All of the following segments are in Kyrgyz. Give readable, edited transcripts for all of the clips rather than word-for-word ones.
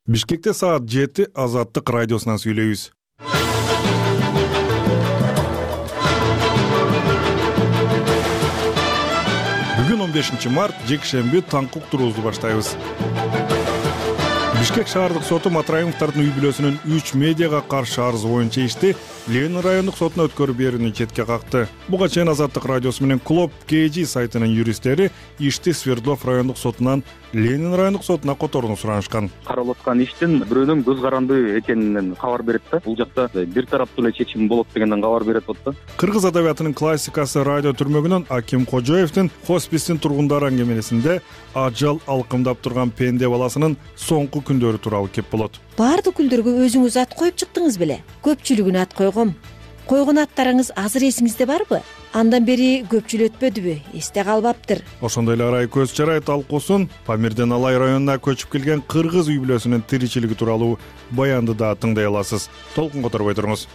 Бишкекте саат 7 Азаттык радиосунан сүйлөйбүз. Бүгүн 15 март, жекшемби таңкы уктуруубузду баштайбыз. Бишкек шаардык соту Матраимовдордун үй бүлөсүнүн 3 медиага каршы арызы боюнча ишти Ленин райондук сотуна өткөрүп берүүнү четке какты. Буга чейин Азаттык радиосу менен Клуб KG сайтынын юристтери ишти Свердлов райондук сотунан Ленин райондук сотуна которууну суранышкан. Каралып аткан иштин бирөөнүн көз каранды экенинен кабар берет да. Бул жакта бир тараптуу эле чечим болот дегенден кабар берет да. Кыргыз адабиятынын классикасы радио түрмөгүнөн Аким Кожоевдин хоспистин тургундары аңгемелесинде ажал алкымдап турган пенде баласынын соңку күндөрү тууралуу кеп болот. Баардык күндөргө өзүңүз ат коюп чыктыңыз беле? Көпчүлүгүнө ат койгом. Койгон аттарыңыз азыр эсиңизде барбы? Андан бери көпчүл өтпөдүбү? Эсте калбаптыр. Ошондой эле Арай көз чарай талкуусун Памирден Алай районуна көчүп келген кыргыз үй бүлөсүнүн тиричилиги тууралуу баянды да тыңдай аласыз. Толкун которбой туруңуз.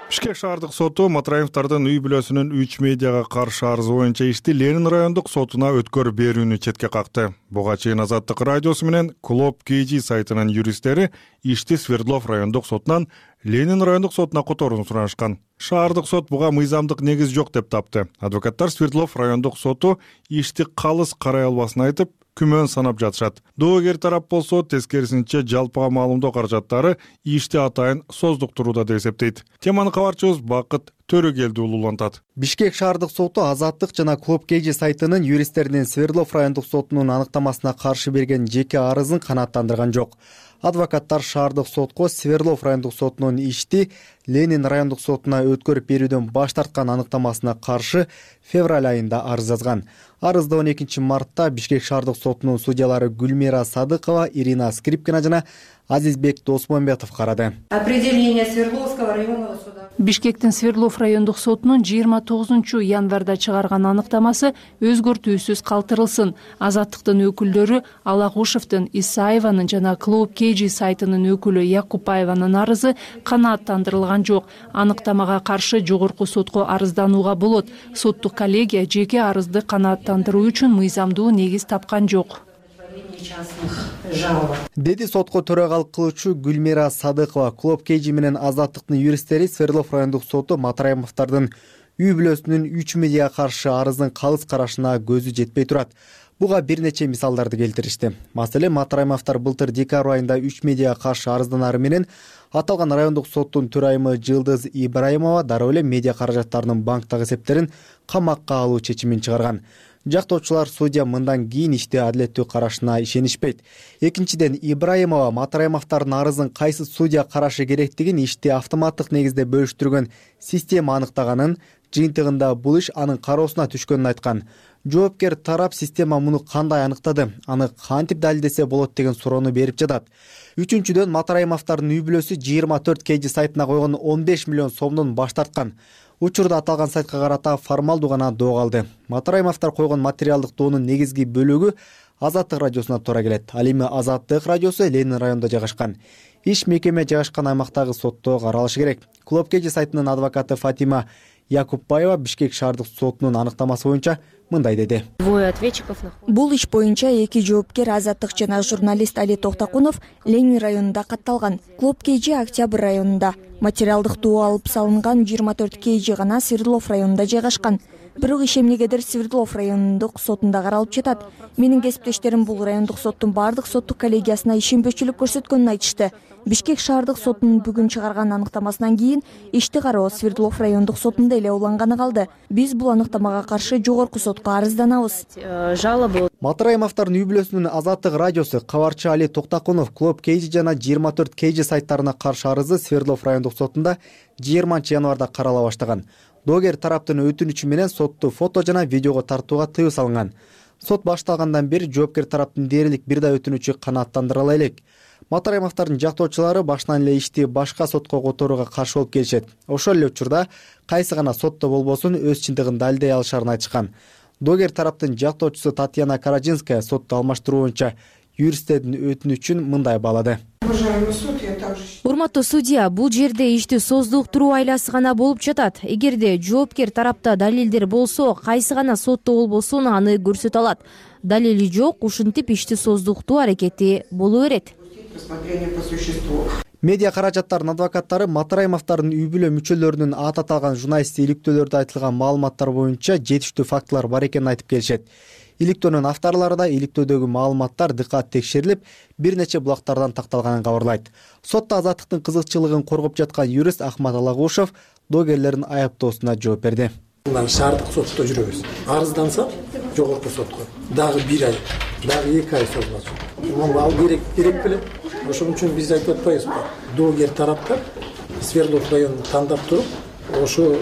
Бишкек шаардык соту Матраимовдордун үй бүлөсүнүн 3 медиага каршы арызы боюнча ишти Ленин райондук сотуна өткөрүп берүүнү четке какты. Буга чейин Азаттык радиосу менен Клуб KG сайтынын юристтери ишти Свердлов райондук сотунан Ленин райондук сотуна которууну суранышкан. Шаардык сот буга мыйзамдык негиз жок деп тапты. Адвокаттар Свердлов райондук соту ишти калыс карай албасын айтып, күмөн санап жатышат. Доогер тарап болсо тескерисинче жалпыга маалымдоо каражаттары ишти атайын создуктурууда деп эсептейт. Теманы кабарчыбыз Бакыт Төрөгелди улантат. Бишкек шаардык соту Азаттык жана Клуб KG сайтынын юристтеринин Свердлов райондук сотунун аныктамасына каршы берген жеке арызын канааттандырган жок. Адвокаттар шаардык сотко Свердлов райондук сотунун ишти Ленин райондук сотуна өткөрүп берүүдөн баш тарткан аныктамасына каршы февраль айында арыз жазган. Арызды 12 мартта Бишкек шаардык сотунун судьялары Гүлмира Садыкова, Ирина Скрипкина жана Азизбек Досмамбетов карады. Определение Свердловского районного суда. Бишкектин Свердлов райондук сотунун 29 январда чыгарган аныктамасы өзгөртүүсүз калтырылсын. Азаттыктын өкүлдөрү Алагушевдин, Исаеванын жана Клуб KG сайтынын өкүлү Якупаеванын арызы канааттандырылган жок. Аныктамага каршы жогорку сотко арызданууга болот. Соттук коллегия жеке арызды канааттандыруу үчүн мыйзамдуу негиз тапкан жок, деди сотко төрагалык кылуучу Гүлмира Садыкова. Клуб KG менен Азаттыктын юристтери Свердлов райондук соту Матраимовдордун үй бүлөсүнүн 3 медиага каршы арыздын калыс карашына көзү жетпей турат. Буга бир нече мисалдарды келтиришти. Маселен, Матраимовдор былтыр декабрь айында 3 медиага каршы арызданары менен аталган райондук соттун төрайымы Жылдыз Ибраимова дароо эле медиа каражаттарынын банктагы эсептерин камакка алуу чечимин чыгарган. Жактоочулар судья мындан кийин ишти адилеттүү карашына ишенишпейт. Экинчиден, Ибраимова Матраимовдордун арызын кайсы судья карашы керектигин ишти автоматтык негизде бөлүштүргөн система аныктаганын, жыйынтыгында бул иш анын кароосуна түшкөнүн айткан. Жоопкер тарап система муну кандай аныктады, аны кантип далилдесе болот деген суроону берип жатат. Үчүнчүдөн, Матраимовдордун үй бүлөсү 24 KG сайтына койгон 15 миллион сомдон баш тарткан. Учурда аталган сайтка карата формалдуу гана доо калды. Матраимовдор койгон материалдык доонун негизги бөлүгү Азаттык радиосуна туура келет. Ал эми Азаттык радиосу Ленин районунда жайгашкан. Иш мекеме жайгашкан аймактагы сотто каралышы керек. Клуб KG сайтынын адвокаты Фатима Якупбаева Бишкек шаардык сотунун аныктамасы боюнча мындай деди. Бул иш боюнча эки жоопкер Азаттык жана журналист Али Токтакунов Ленин районунда катталган. Клуб KG Октябрь районунда. Материалдык доо алып салынган 24 KG гана Свердлов районунда жайгашкан. Бирок иш эмнегедир Свердлов райондук сотунда каралып жатат. Менин кесиптештерим бул райондук соттун бардык соттук коллегиясына ишенбөөчүлүк көрсөткөнүн айтышты. Бишкек шаардык сотунун бүгүн чыгарган аныктамасынан кийин ишти кароо Свердлов райондук сотунда эле уланганы калды. Биз бул аныктамага каршы жогорку сотко арызданабыз. Матраимовдордун үй бүлөсүнүн Азаттык радиосу, кабарчы Али Токтакунов Клуб KG жана 24 KG сайттарына каршы арызы Свердлов райондук сотунда 20 январда карала баштаган. Доогер тараптын өтүнүчү менен сотту фото жана видеого тартууга тыюу салынган. Сот башталгандан бери жоопкер тараптын дээрлик бир да өтүнүчү канааттандырыла элек. Матраимовдордун жактоочулары башынан эле ишти башка сотко которууга каршы болуп келишет. Ошол эле учурда кайсы гана сотто болбосун өз чындыгын далилдей алышарын айтышкан. Доогер тараптын жактоочусу Татьяна Караджинская сотто алмаштыруу боюнча юристтердин өтүнүчүн мындай баалады. Урматтуу судья, бул жерде ишти создуктуруу айласы гана болуп жатат. Эгерде жоопкер тарапта далилдер болсо, кайсы гана сотто болбосун аны көрсөтө алат. далили жок, ушинтип ишти создуктуу аракети боло берет. Медиа каражаттардын адвокаттары Матраимовдордун үй бүлө мүчөлөрүнүн аты аталган журналисттик иликтөөлөрдө айтылган маалыматтар боюнча жетиштүү фактылар бар экенин айтып келишет. Иликтөөнүн авторлору иликтөөдөгү маалыматтар дыкат текшерилип, бир нече булактардан такталганын кабарлайт. Сотто азаттыктын кызыкчылыгын коргоп жаткан юрист Ахмат Алагушев догерлердин аяптоосуна жооп берди. Шаардык сотто жүрөбүз. Арызданса жогорку сотко дагы 1 ай, дагы 2 ай созулат. Ал керек беле? Ошон үчүн биз айтып атпайбызбы? Догер тараптар Свердлов районун тандап туруп, ошо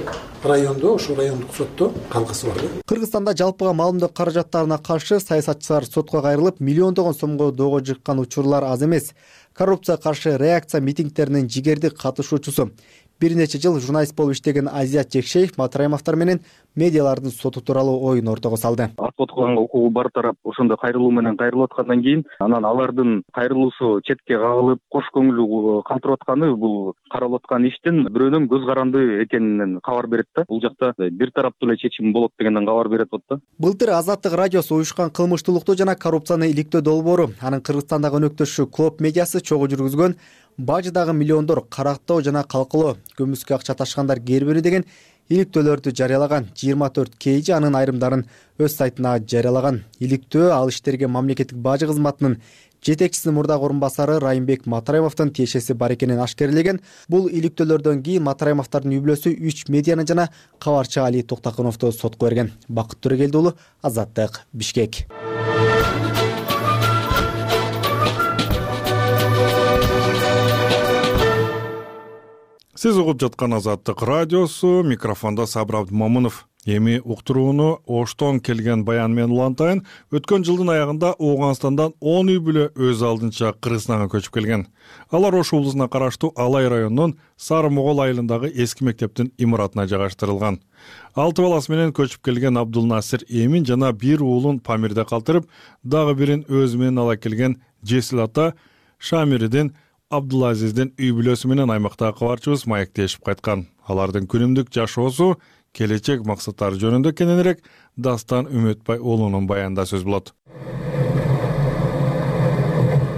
райондо, ошо райондук сотто калгысы бар. Кыргызстанда жалпыга маалымдоо каражаттарына каршы саясатчылар сотко кайрылып, миллиондогон сомго доого жыккан учурлар аз эмес. Коррупцияга каршы реакция митингдеринин жигердик катышуучусу. Бир нече жыл журналист болуп иштеген Азият Жекшеев Матраимовдор менен медиалардын соту тууралуу оюн ортого салды. Сотко укугу бар тарап ошондой кайрылуу менен кайрылып аткандан кийин анан алардын кайрылуусу четке кагылып, кош көңүлү калтырып атканы бул каралып аткан иштин бирөөнүн көз каранды экенинен кабар берет да. Бул жакта бир тараптуу эле чечим болот дегенден кабар берип атат да. Былтыр Азаттык радиосу уюшкан кылмыштуулукту жана коррупцияны иликтөө долбоору анын Кыргызстандагы өнөктөшү Клоп медиасы чогуу жүргүзгөн бажыдагы миллиондор карактоо жана калкылоо көмүскө акча ташкандар кербери деген иликтөөлөрдү жарыялаган. 24 KG анын айрымдарын өз сайтына жарыялаган. Иликтөө ал иштерге мамлекеттик бажы кызматынын жетекчисинин мурдагы орун басары Райымбек Матраимовдун тиешеси бар экенин ашкерлеген. Бул иликтөөлөрдөн кийин Матраимовдордун үй бүлөсү 3 медианы жана кабарчы Али Токтокуновду сотко берген. Бакыт Төрөгелди уулу, Азаттык, Бишкек. Сиз угуп жаткан Азаттык радиосу, микрофондо Сабыр Абдымомунов. Эми уктурууну Оштон келген баян менен улантайын. Өткөн жылдын аягында Ооганстандан 10 үй бүлө өз алдынча Кыргызстанга көчүп келген. Алар Ош облусуна караштуу Алай районунун Сары Могол айылындагы эски мектептин имаратына жайгаштырылган. 6 баласы менен көчүп келген Абдулнасир Эмин жана бир уулун Памирде калтырып, дагы бирин өзү менен ала келген Жесил ата Шамиридин Абдулазиздин үй бүлөсү менен аймактагы кабарчыбыз маектешип кайткан. Алардын күнүмдүк жашоосу, келечек максаттары жөнүндө кененирээк Дастан Үмөтбай уулунун баянында сөз болот.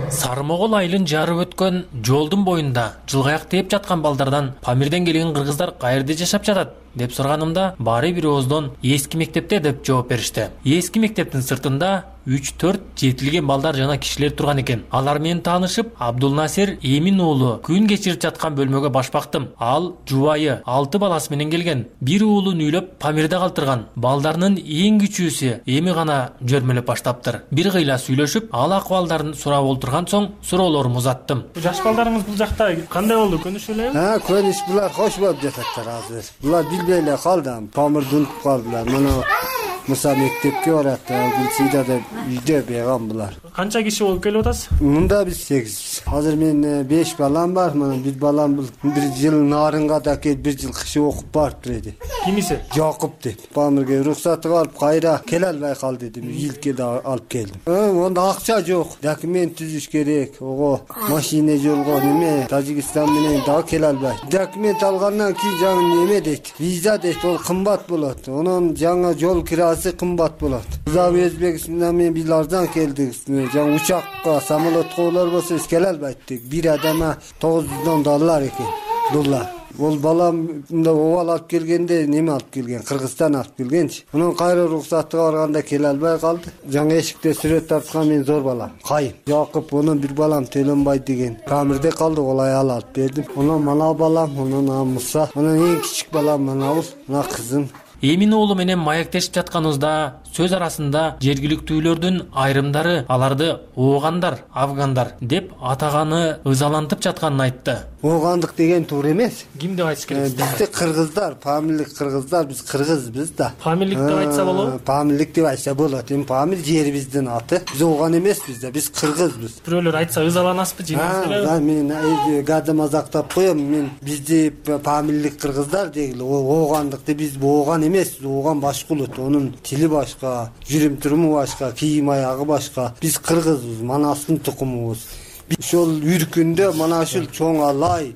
Сары Могол айылын жарып өткөн жолдун боюнда жылгаяк тээп жаткан балдардан Памирден келген кыргыздар каерде жашап жатат деп сураганымда баары бир ооздон эски мектепте деп жооп беришти. Эски мектептин сыртында 3-4 жетилген балдар жана кишилер турган экен. Алар менен таанышып, Абдулнасир Эмин уулу күн кечирип жаткан бөлмөгө баш бактым. Ал жубайы 6 баласы менен келген. Бир уулун үйлөп Памирде калтырган. Балдарынын эң күчүүсү эми гана жөрмөлөп баштаптыр. Бир кыйла сүйлөшүп, ал акыбалдарын сурап олтурган соң суроолорумду узаттым. Жаш балдарыңыз бул жакта кандай болду? Көнүшүп элеби? Көнүш булар кош болуп жататтыр азыр. Булар билбей эле калды. Памирди унутуп калдылар. Мына Муса мектепке барат, Гүлсида деп үйдө беган булар. Канча киши болуп келип атасыз? Мында биз 8. Азыр мен 5 балам бар. Мына бир балам бул бир жыл Нарынга да келип, бир жыл кышы окуп барыптыр эди. Кимиси? Жакып деп. Памирге уруксаты калып, кайра келе албай калды дедим. Илке да алып келдим. Онда акча жок. Документ түзүш керек. Ого, машина жолго неме, Тажикстан менен да келе албай. Документ алгандан кийин жаңы неме дейт. Виза дейт, ол кымбат болот. Онун жаңы жол кирасы кымбат болот. Зам Өзбекстандан мен бир арзан келдик. Жаңы учакка, самолотко олар болсо келе албайт. Бир адама $900 экен. Доллар. Ол балам мында обал алып келгенде неме алып келген, Кыргызстан алып келгенчи. Унун кайра уруксатыга барганда келе албай калды. Жаңы эшикте сүрөт тарткан мен зор балам. Кайым. Жакып, онун бир балам Төлөнбай деген. Памирде калды, ол аял алып бердим. Онун мана балам, онун Муса, онун эң кичик балам мына ул, мына кызым. Эмин уулу менен маектешип жатканыбызда сөз арасында жергиликтүүлөрдүн айрымдары аларды оогандар, афгандар деп атаганы ызалантып жатканын айтты. Оогандык деген туура эмес. Ким деп айтыш керек? Бизде кыргыздар, памирлик кыргыздар, биз кыргызбыз да. Памирлик деп айтса болобу? Памирлик деп айтса болот. Эми Памир жерибиздин аты. Биз ооган эмеспиз да, биз кыргызбыз. Бирөөлөр айтса ызаланасызбы, жеңилсиңерби? Мен гадда мазактап коем. Мен бизди памирлик кыргыздар дегиле, оогандыкты биз ооган эмес, ооган башка улут. Онун тили башка, жүрүм туруму башка, кийим аягы башка. Биз кыргызбыз, манастын тукумубуз. ошол үркүндө мына ушул чоң алай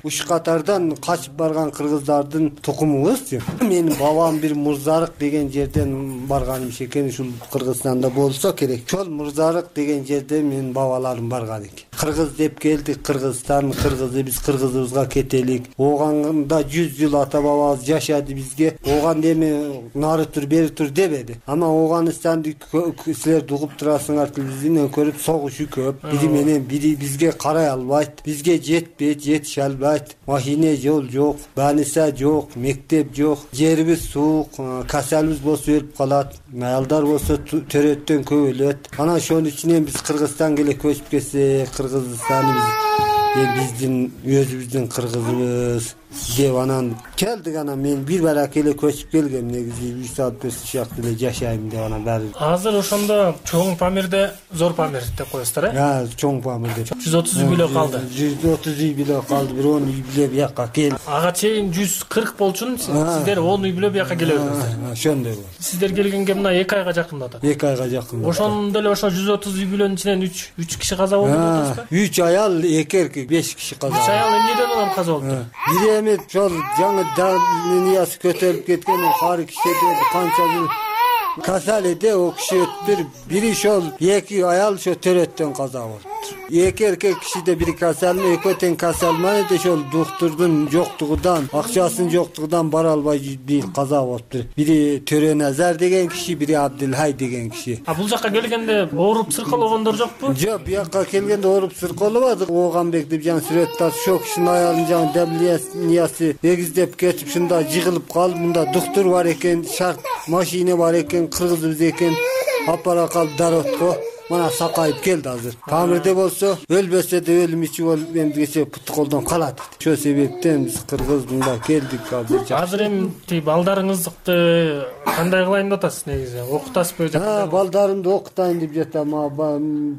уш катардан качып барган кыргыздардын тукумубуз. Менин бабам бир Мурзарык деген жерден барган экен, ушул Кыргызстанда болсо керек. Ошол Мурзарык деген жерде менин бабаларым барган экен. Кыргыз деп келдик, Кыргызстан кыргызы, биз кыргызыбызга кетелик. Оганда 100 жыл ата бабабыз жашады бизге. Оган эми нары тур, бери тур дебеди. Ама Оганстанды силер угуп турасыңар, телевизияден көрүп, согушу көп. Бири менен бири бизге карай албайт, бизге жетпейт, жетише албайт. Машина жол жок, больница жок, мектеп жок, жерибиз суук, касалыбыз болсо өлүп калат, аялдар болсо төрөттөн көп өлөт. Анан ошонун үчүнөн биз Кыргызстанга эле көчүп келсек, Кыргызстаныбыз биздин өзүбүздүн кыргызыбыз деп анан келдик. Анан мен бир барак эле көчүп келгем, негизи 3 саат 5 саат эле жашайм деп анан баары. Азыр ошондо чоң Памирде зор Памир деп коесуздар, чоң Памир деп. 130 үй бүлө калды. 130 үй бүлө калды, бир 10 үй бүлө бияка келди. Ага чейин 140 болчун, сиздер 10 үй бүлө бияка келе бердиңиздер. Ошондой болду. Сиздер келгенге мына 2 айга жакын атат. 2 айга жакын. Ошондо эле ошо 130 үй бүлөнүн ичинен 3 киши каза болду деп атасызбы? 3 аял, 2 эркек, 5 киши каза. 3 аял эмнеден улам каза болду? Бири эми жол жаңы дарыниясы көтөрүлүп кеткен кары кишиде канча бир касал эди, о киши өттүр. Бири ошол 2 аял ошо төрөттөн каза болду. 2 эркек кишиде бири касал, экөө тең касалман эди, ошол доктурдун жоктугунан, акчасынын жоктугунан бара албай бир каза болуптур. Бири Төрө Назар деген киши, бири Абдылхай деген киши. Бул жака келгенде ооруп сыркалогондор жокпу? Жок, бияка келгенде ооруп сыркалабадык. Оганбек деп жаңы сүрөт тартып, ошол кишинин аялын жаңы давлениясы эгиздеп кетип, шунда жыгылып калып, мында доктор бар экен, шарт машина бар экен, кыргызыбыз экен, апара калып даротко. Мана сакайып келди азыр. Памирде болсо өлбөсө да өлүм ичи болуп эмгесе путу колдон калат. Ошол себептен биз кыргыз мында келдик азыр. Азыр эми балдарыңызды кандай кылайын деп атасыз негизи? Окутасызбы? Балдарымды окутайын деп жатам.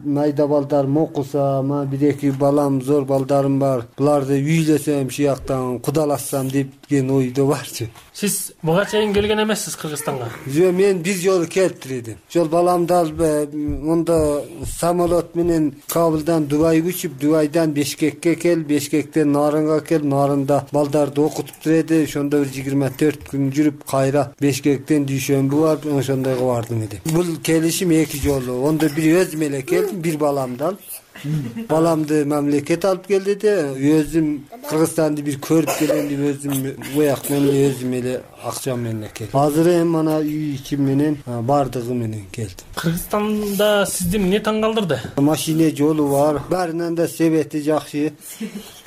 Майда балдарым окуса, бир эки балам, зор балдарым бар. Буларды үйлөсөм, шияктан кудалашсам деген ойдо барчы. Сиз буга чейин келген эмессиз Кыргызстанга? Жок, мен бир жолу келиптирдим. Ошол баламды алып монда самолот менен Кабылдан Дубайга учуп, Дубайдан Бишкекке кел, Бишкектен Нарынга кел, Нарында балдарды окутуп турду. Ошондо бир 24 күн жүрүп, кайра Бишкектен дүйшөмбү барып, ошондойго бардым эди. Бул келишим 2 жолу. Ондо бир өзүм эле келдим, бир баламды алып. Баламды мамлекет алып келди де, өзүм Кыргызстанды бир көрүп келем деп өзүм уяк менен өзүм эле акчам менен келдим. Азыр эми мана үй ичим менен бардыгы менен келдим. Кыргызстанда сизди эмне таң калтырды? Машина жолу бар, баарынан да себети жакшы.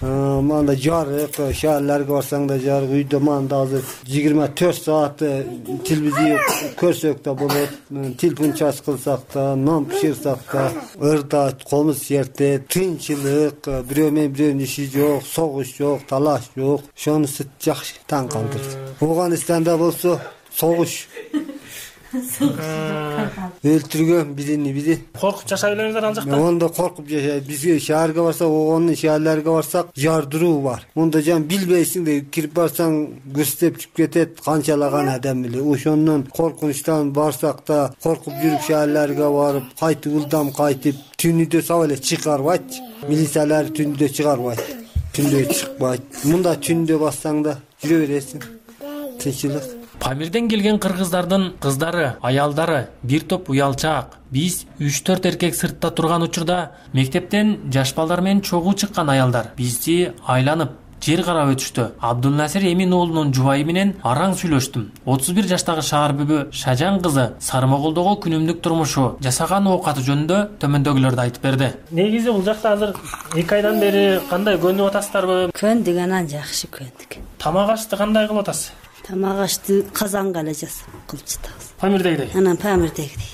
Манда жарык, шаарларга барсаң да жарык, үйдө манда азыр 24 саат телевизия көрсөк да болот, телефон чарж кылсак да, нан пиширсак да, ырда комуз жерде тынчылык, бирөө менен бирөөнүн иши жок, согуш жок, талаш жок. Ошонусу жакшы таң калтырды. Оганстанда болсо согуш, өлтүргөн бирини бири. Коркуп жашай элеңиздер ал жакта? Онда коркуп жашайт. Бизге шаарга барсак, Оганын шаарларга барсак, жардыруу бар. Монда жан билбейсиң да, кирип барсаң күстеп чүп кетет, канчалаган адам эле. Ошондон коркунучтан барсак да, коркуп жүрүп шаарларга барып, кайтып ылдам кайтып, түнүдө сап эле чыгарбайт. Милициялар түндө чыгарбайт. Түндө чыкпайт. Мында түндө бассаң да жүрө бересиң. Тынчылык. Памирден келген кыргыздардын кыздары, аялдары бир топ уялчаак. Биз 3-4 эркек сыртта турган учурда мектептен жаш балдар менен чогуу чыккан аялдар бизди айланып жер карап өтүштү. Абдулнасир Эмин уулунун жубайы менен араң сүйлөштүм. 31 жаштагы шаар бүбү Шажан кызы Сармоголдогу күнүмдүк турмушу, жасаган оокаты жөнүндө төмөндөгүлөрдү айтып берди. Негизи бул жакта азыр 2 айдан бери кандай көнүп атасыздарбы? Көндүк, анан жакшы көндүк. Тамак ашты кандай кылып атасыз? Тамак ашты казанга эле жасап кылып жатабыз. Памирдегидей? Анан Памирдегидей.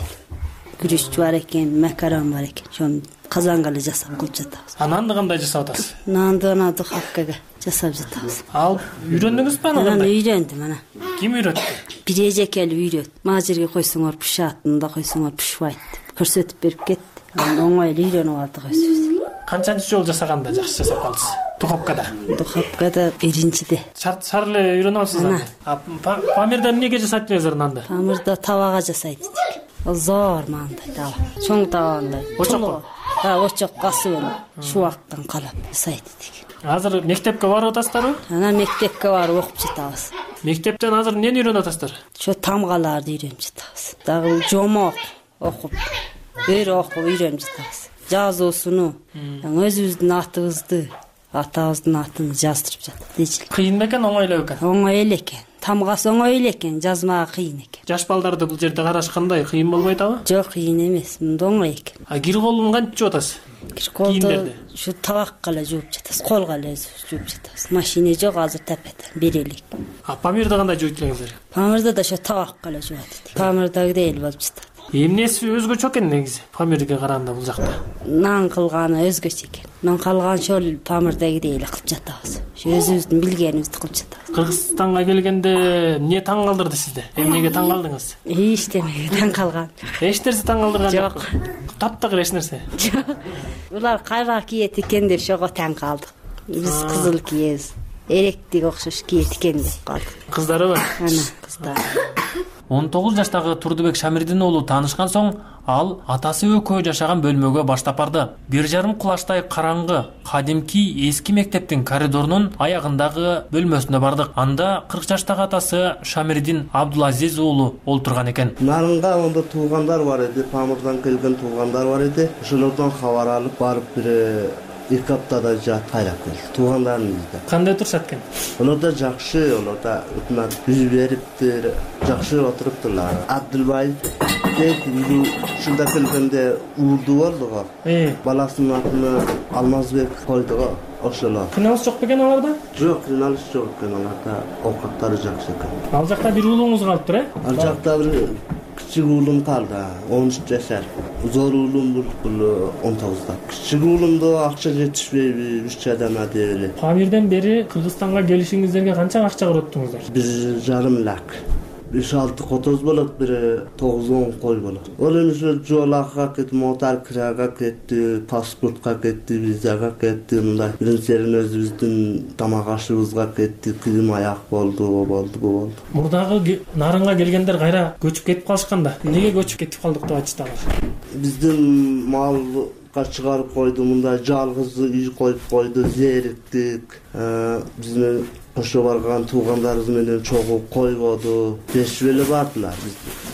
Күрүч бар экен, макарон бар экен. Ошону казанга эле жасап кылып жатабыз. Нанды кандай жасап атасыз? Нанды ана духовкага жасап жатабыз. Ал үйрөндүңүзбү аны кандай? Үйрөндүм ана. Ким үйрөттү? Бир эжекели үйрөт. Мына жерге койсоңор пышат, мында койсоңор пышбайт деп көрсөтүп берип кетти. Анан оңой эле үйрөнүп алдык өзүбүз. Канчанчы жол жасаганда жакшы жасап калдыңыз? Духовкада. Духовкада биринчиде. Шар эле үйрөнүп алсыз аны. Памирда эмнеге жасайт элеңиздер нанды? Памирда табага жасайт. зор мындай таба, чоң табандай. Очок. Очок касы шубактан калап сайт деген. Азыр мектепке барып атасыздарбы? Ана мектепке барып окуп жатабыз. Мектептен азыр эмнени үйрөнүп атасыздар? Ошо тамгаларды үйрөнүп жатабыз. Дагы жомок окуп, үйрөнүп жатабыз. Жазуусуну, өзүбүздүн атыбызды, атабыздын атын жаздырып жатат. Кыйын бекен, оңой эле бекен? Оңой эле экен. Тамгасы оңой эле экен, жазмагы кыйын экен. Жаш балдарды бул жерде карашкандай кыйын болбой атабы? Жок, кыйын эмес, мында оңой экен. Кир колун кантип жууп атасыз? Кир колду ушу табакка эле жууп жатабыз, колго эле жууп жатабыз. Машина жок азыр тапет, берелик. Памирди кандай жууйт элеңиздер? Памирди да ошо табакка эле жуат. Памирдагыдай эле болуп жатат. Эмнеси өзгөчө экен негизи? Памирге караганда бул жакта. Нан кылганы өзгөчө экен. Нан калган ошол памирдагыдай эле кылып жатабыз. Ошо өзүбүздүн билгенибизди кылып жатабыз. Кыргызстанга келгенде эмне таң калтырды сизди? Эмнеге таң калдыңыз? Эчтемеге таң калган. Эч нерсе таң калтырган жок? Таптагыр эч нерсе? Жок. Булар кайра кийет экен деп ошого таң калдык. Биз кызыл кийебиз. Эректик окшош кийет экен деп калдык. Кыздарыбы? Ана, кыздар. 19 жаштагы Турдубек Шамирдин уулу таанышкан соң ал атасы экөө жашаган бөлмөгө баштап барды. 1,5 кулачтай караңгы, кадимки эски мектептин коридорунун аягындагы бөлмөсүнө бардык. Анда 40 жаштагы атасы Шамирдин Абдулазиз уулу олтурган экен. Нарынга онда туугандар бар эди, Памирдан келген туугандар бар эди. Ошолордон кабар алып барып бир 2 аптада жат кайрап келди. Туугандарым бизде. Кандай турушат экен? Олар да жакшы, олар да өкмөт үй бериптир, жакшы отуруптурлар. Абдулбай ушунда келгенде уурду болду го. Баласынын атын Алмазбек койду го. Ошолор. Кыйналыш жок бекен аларда? Жок, кыйналыш жок экен, аларда оокаттары жакшы экен. Ал жакта бир уулуңуз калыптыр, Ал жакта бир кичик уулум калды, 13 жашар. Зор уулум бул 19да. Кичик уулумду акча жетишпейби, 3 жадана деп эле. Памирден бери Кыргызстанга келишиңиздерге канча акча короттуңуздар? 1,5 лак. 5-6 котоз болот, бир 9-10 кой болот. Ол эми жолакка кетти, мотор кирага кетти, паспортко кетти, визага кетти, мындай биринчиден өзүбүздүн тамак ашыбызга кетти, кийим аяк болду. Мурдагы Нарынга келгендер кайра көчүп кетип калышканда, эмнеге көчүп кетип калдык деп айтыштагы? Биздин малга чыгарып койду, мындай жалгыз үй коюп койду, зериктик. Биздин кошо барган туугандарыбыз менен чогуу койбоду, бешип эле бардылар.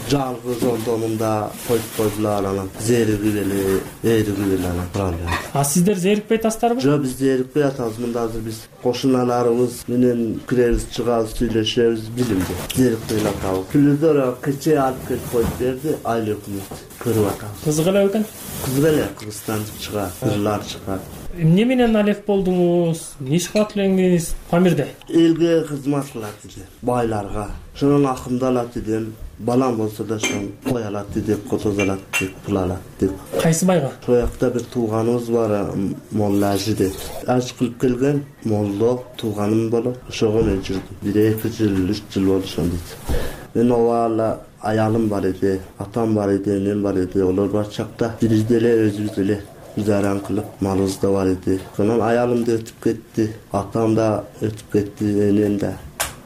Жалгыз ондонунда коюп койдулар, анан зеригип эле, эригип эле анан. Сиздер зерикпей атасыздарбы? Жок, биз зерикпей атабыз. Мында азыр биз кошуналарыбыз менен киребиз, чыгабыз, сүйлөшөбүз, билимди. Зерикпей атабыз. Күлүдөр кече алып келип коюп берди, айыл өкмөт көрүп атабыз. Кызык эле экен? Кызык эле, Кыргызстан чыгат, ырлар чыгат. Эмне менен алек болдуңуз? Не иш кылат элеңиз Памирде? Элге кызмат кылат иде, байларга. Ошонун акымды алат идем. Балам болсо да ошон кой алат деп, котоз алат деп, пул алат деп. Кайсы байга? Ошол жакта бир тууганыбыз бар, Молла Ажы деп. Аж кылып келген молдо тууганым болот. Ошого мен жүрдүм. 1-2 жыл, 3 жыл болду ошон дейт. Мен оола аялым бар эди, атам бар эди, мен бар эди. Олор бар чакта биз деле өзүбүз эле жаран кылып, малыбыз да бар эди. Анан аялым да өтүп кетти, атам да өтүп кетти, энем да.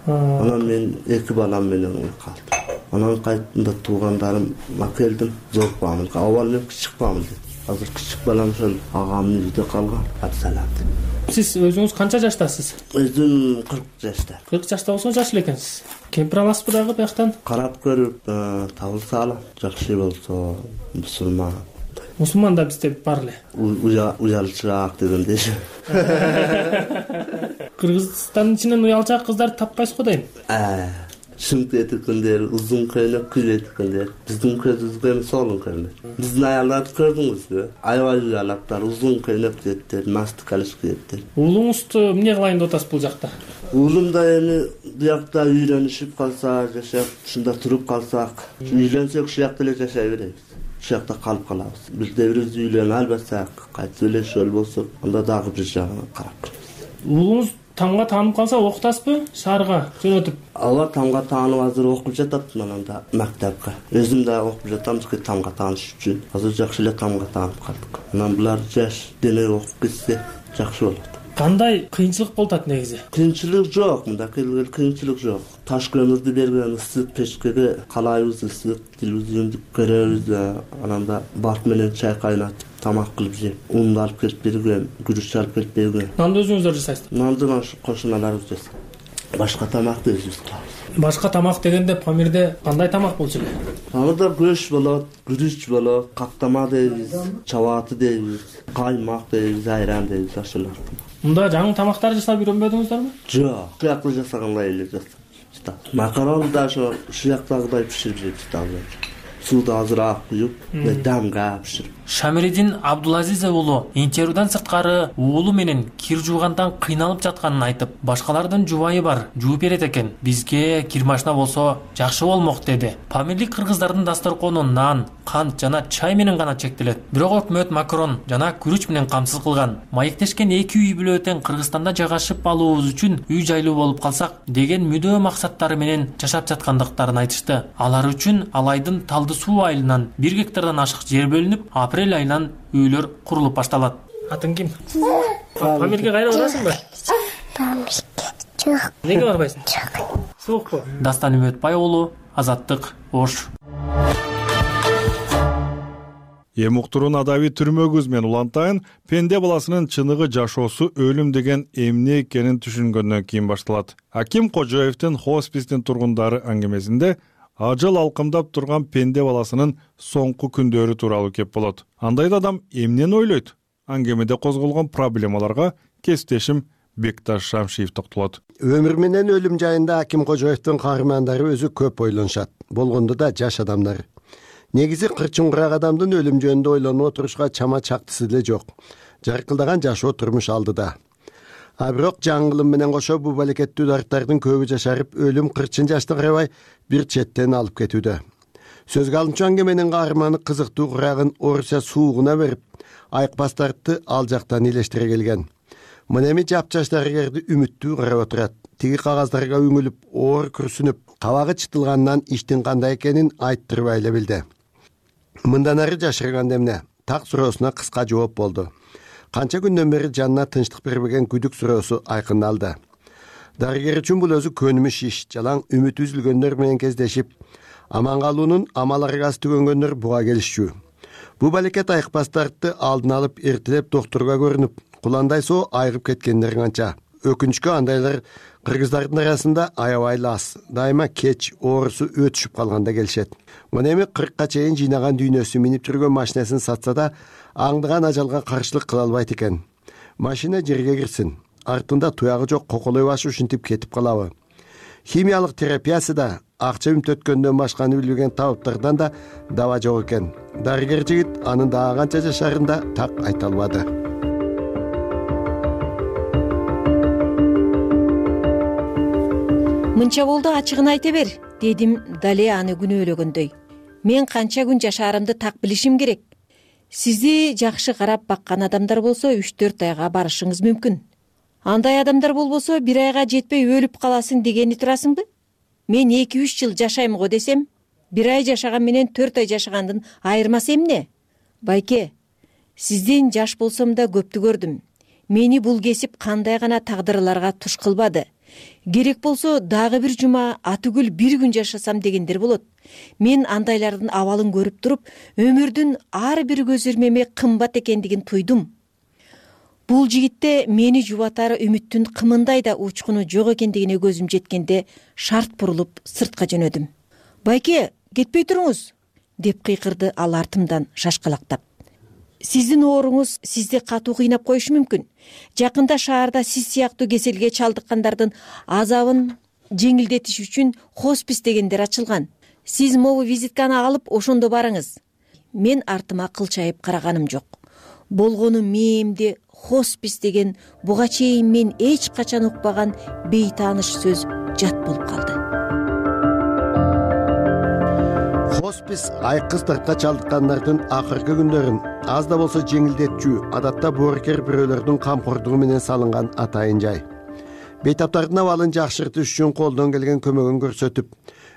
Анан мен 2 балам менен калдым. Анан кайтында туугандарыма келдим, зор Памирге. Авал мен кичик Памир. Азыр кичик балам ошол агамдын үйүндө калган. Абсалам. Сиз өзүңүз канча жаштасыз? Өзүм 40 жашта. 40 жашта болсо жаш эле экенсиз. Кемпир аласызбы дагы бияктан? Карап көрүп, табылса алам. Жакшы болсо мусулман. Мусулман да бизде бар эле. Уялчаак дегендей. Кыргызстандын ичинен уялчаак кыздарды таппайсыз го дейм. Шымт этикендер, узун көйнөк кийет экендер. Биздин көзүбүзгө солун көрүнөт. Биздин аялдарды көрдүңүзбү? Аябай уялаптар, узун көйнөк кийеттер, настык калыш кийеттер. Уулуңузду эмне кылайын деп атасыз бул жакта? Уулум да эми буякта үйрөнүшүп калса, жашап, ушунда туруп калсак, үйлөнсөк ушул жакта эле жашай беребиз. Ушул жакта калып калабыз. Бизде бирөөбүз үйлөнүп албасак, кайтып эле ошол болсок, анда дагы бир жагына карап көрөбүз. Уулуңуз тамга таанып калса окутасызбы? Шаарга жөнөтүп? Ооба, тамга таанып азыр окуп жатат ананда мектепке. Өзүм да окуп жатам, тамга тааныш үчүн. Азыр жакшы эле тамга таанып калдык. Анан булар жаш дене окуп кетсе жакшы болот. Кандай кыйынчылык болуп атат негизи? Кыйынчылык жок, мында келген кыйынчылык жок. Таш көмүрдү берген ысык печкеге калайбыз, ысык телевизионду көрөбүз, анан да барк менен чай кайнатып тамак кылып жеп, унду алып келип берген, күрүч алып келип берген. Нанды өзүңүздөр жасайсызбы? Нанды кошуналарыбыз жасайт. Башка тамакты өзүбүз кылабыз. Башка тамак дегенде Памирде кандай тамак болчу эле? Памирде көш болот, күрүч болот, каптама дейбиз, чабаты дейбиз, каймак дейбиз, айран дейбиз, ошолор. Мында жаңы тамактар жасап үйрөнбөдүңүздөрбү? Жок, шуяктуу жасагандай эле жасап. Макарону да ошо шуяктагыдай биширип жейбиз. Сууду азыраак куюп, дамга биширип. Шамиридин Абдулазиз уулу интервьюдан сырткары уулу менен кир жуугандан кыйналып жатканын айтып, башкалардын жубайы бар, жууп берет экен. Бизге кир машина болсо жакшы болмок деди. Памирлик кыргыздардын дасторкону нан, кант жана чай менен гана чектелет. Бирок өкмөт макарон жана күрүч менен камсыз кылган. Маектешкен эки үй бүлө тең Кыргызстанда жайгашып алуубуз үчүн үй жайлуу болуп калсак деген мүдөө максаттары менен жашап жаткандыктарын айтышты. Алар үчүн Алайдын Талды суу айылынан 1 гектардан ашык жер бөлүнүп, апрель айынан үйлөр курулуп башталат. Атың ким? Памирге кайра барасыңбы? Жок. Неге барбайсың? Жок. Суукпу? Дастан Үмөтбай уулу, Азаттык, Ош. Эми уктуруун адаби түрмөгүз мен улантайын, пенде баласынын чыныгы жашоосу өлүм деген эмне экенин түшүнгөндөн кийин башталат. Аким Кожоевдин хоспистин тургундары аңгемесинде ажал алкымдап турган пенде баласынын соңку күндөрү тууралуу кеп болот. Андайда адам эмнени ойлойт? Аңгемеде козголгон проблемаларга кесиптешим Бекташ Шамшиев токтолот. Өмүр менен өлүм жайында Аким Кожоевдин каармандары өзү көп ойлонушат. Болгондо да жаш адамдар. Негизи кырчын курак адамдын өлүм жөнүндө ойлонуп отурушка чама чактысы деле жок. Жаркылдаган жашоо турмуш алдыда. А бирок жаңылым менен кошо бул балекеттүү дарттардын көбү жашарып, өлүм кырчын жашты карабай бир четтен алып кетүүдө. Сөзгө алынчу аңгеменин каарманы кызыктуу курагын Орусия суугуна берип, айыкпастарды ал жактан илештире келген. Мына эми жапжаш дарыгерди үмүттүү карап отурат. Тиги кагаздарга үңүлүп, оор күрсүнүп, кабагы чытылгандан иштин кандай экенин айттырбай эле билди. Мындан ары жашырган эмне? Так суроосуна кыска жооп болду. Канча күндөн бери жанына тынчтык бербеген күдүк суроосу айкындалды. Дарыгер үчүн бул өзү көнүмүш иш. Жалаң үмүт үзүлгөндөр менен кездешип, аман калуунун амал аргасы түгөнгөндөр буга келишчү. Бу балекет айыкпастарды алдын алып эртелеп доктурга көрүнүп, куландай соо айыгып кеткендер канча. Өкүнүчкө андайлар кыргыздардын арасында аябай аз. Дайыма кеч оорусу өтүшүп калганда келишет. Мына эми 40ка чейин жыйнаган дүйнөсү минип жүргөн машинасын сатса да, аңдыган ажалга каршылык кыла албайт экен. Машина жерге кирсин, артында туягы жок коколой башы ушинтип кетип калабы? Химиялык терапиясы да акча үмтөткөндөн башканы билбеген табыптардан да даба жок экен. Дарыгер жигит анын дагы канча жашарын да так айта албады. Мынча болду, ачыгын айта бер, дедим дале аны күнөөлөгөндөй. Мен канча күн жашаарымды так билишим керек. Сизди жакшы карап баккан адамдар болсо 3-4 айга барышыңыз мүмкүн. Андай адамдар болбосо 1 айга жетпей өлүп каласың дегени турасыңбы? Мен 2-3 жыл жашайм го десем, 1 ай жашаган менен 4 ай жашагандын айырмасы эмне? Байке, сизден жаш болсом да көптү көрдүм. Мени бул кесип кандай гана тагдырларга туш кылбады. Керек болсо дагы бир жума атүгүл 1 күн жашасам дегендер болот. Мен андайлардын абалын көрүп туруп, өмүрдүн ар бир көзөрмеме кымбат экендигин туйдум. Бул жигитте мени жубатары үмүттүн кымындай да учкуну жок экендигине көзүм жеткенде шарт бурулуп сыртка жөнөдүм. Байке, кетпей туруңуз, деп кыйкырды ал артымдан шашкалактап. Сиздин ооруңуз сизди катуу кыйнап коюшу мүмкүн. Жакында шаарда сиз сыяктуу кеселге чалдыккандардын азабын жеңилдетиш үчүн хоспис дегендер ачылган. Сиз могу визитканы алып ошондо барыңыз. Мен артыма кылчайып караганым жок. Болгону мээмде хоспис деген буга чейин мен эч качан укпаган бейтааныш сөз жат болуп калды. Хоспис айкыстыкка чалдыккандардын акыркы күндөрүн аз да болсо жеңилдетчү, адатта боорукер бирөөлөрдүн камкордугу менен салынган атайын жай. Бейтаптардын абалын жакшыртыш үчүн колдон келген көмөгүн көрсөтүп,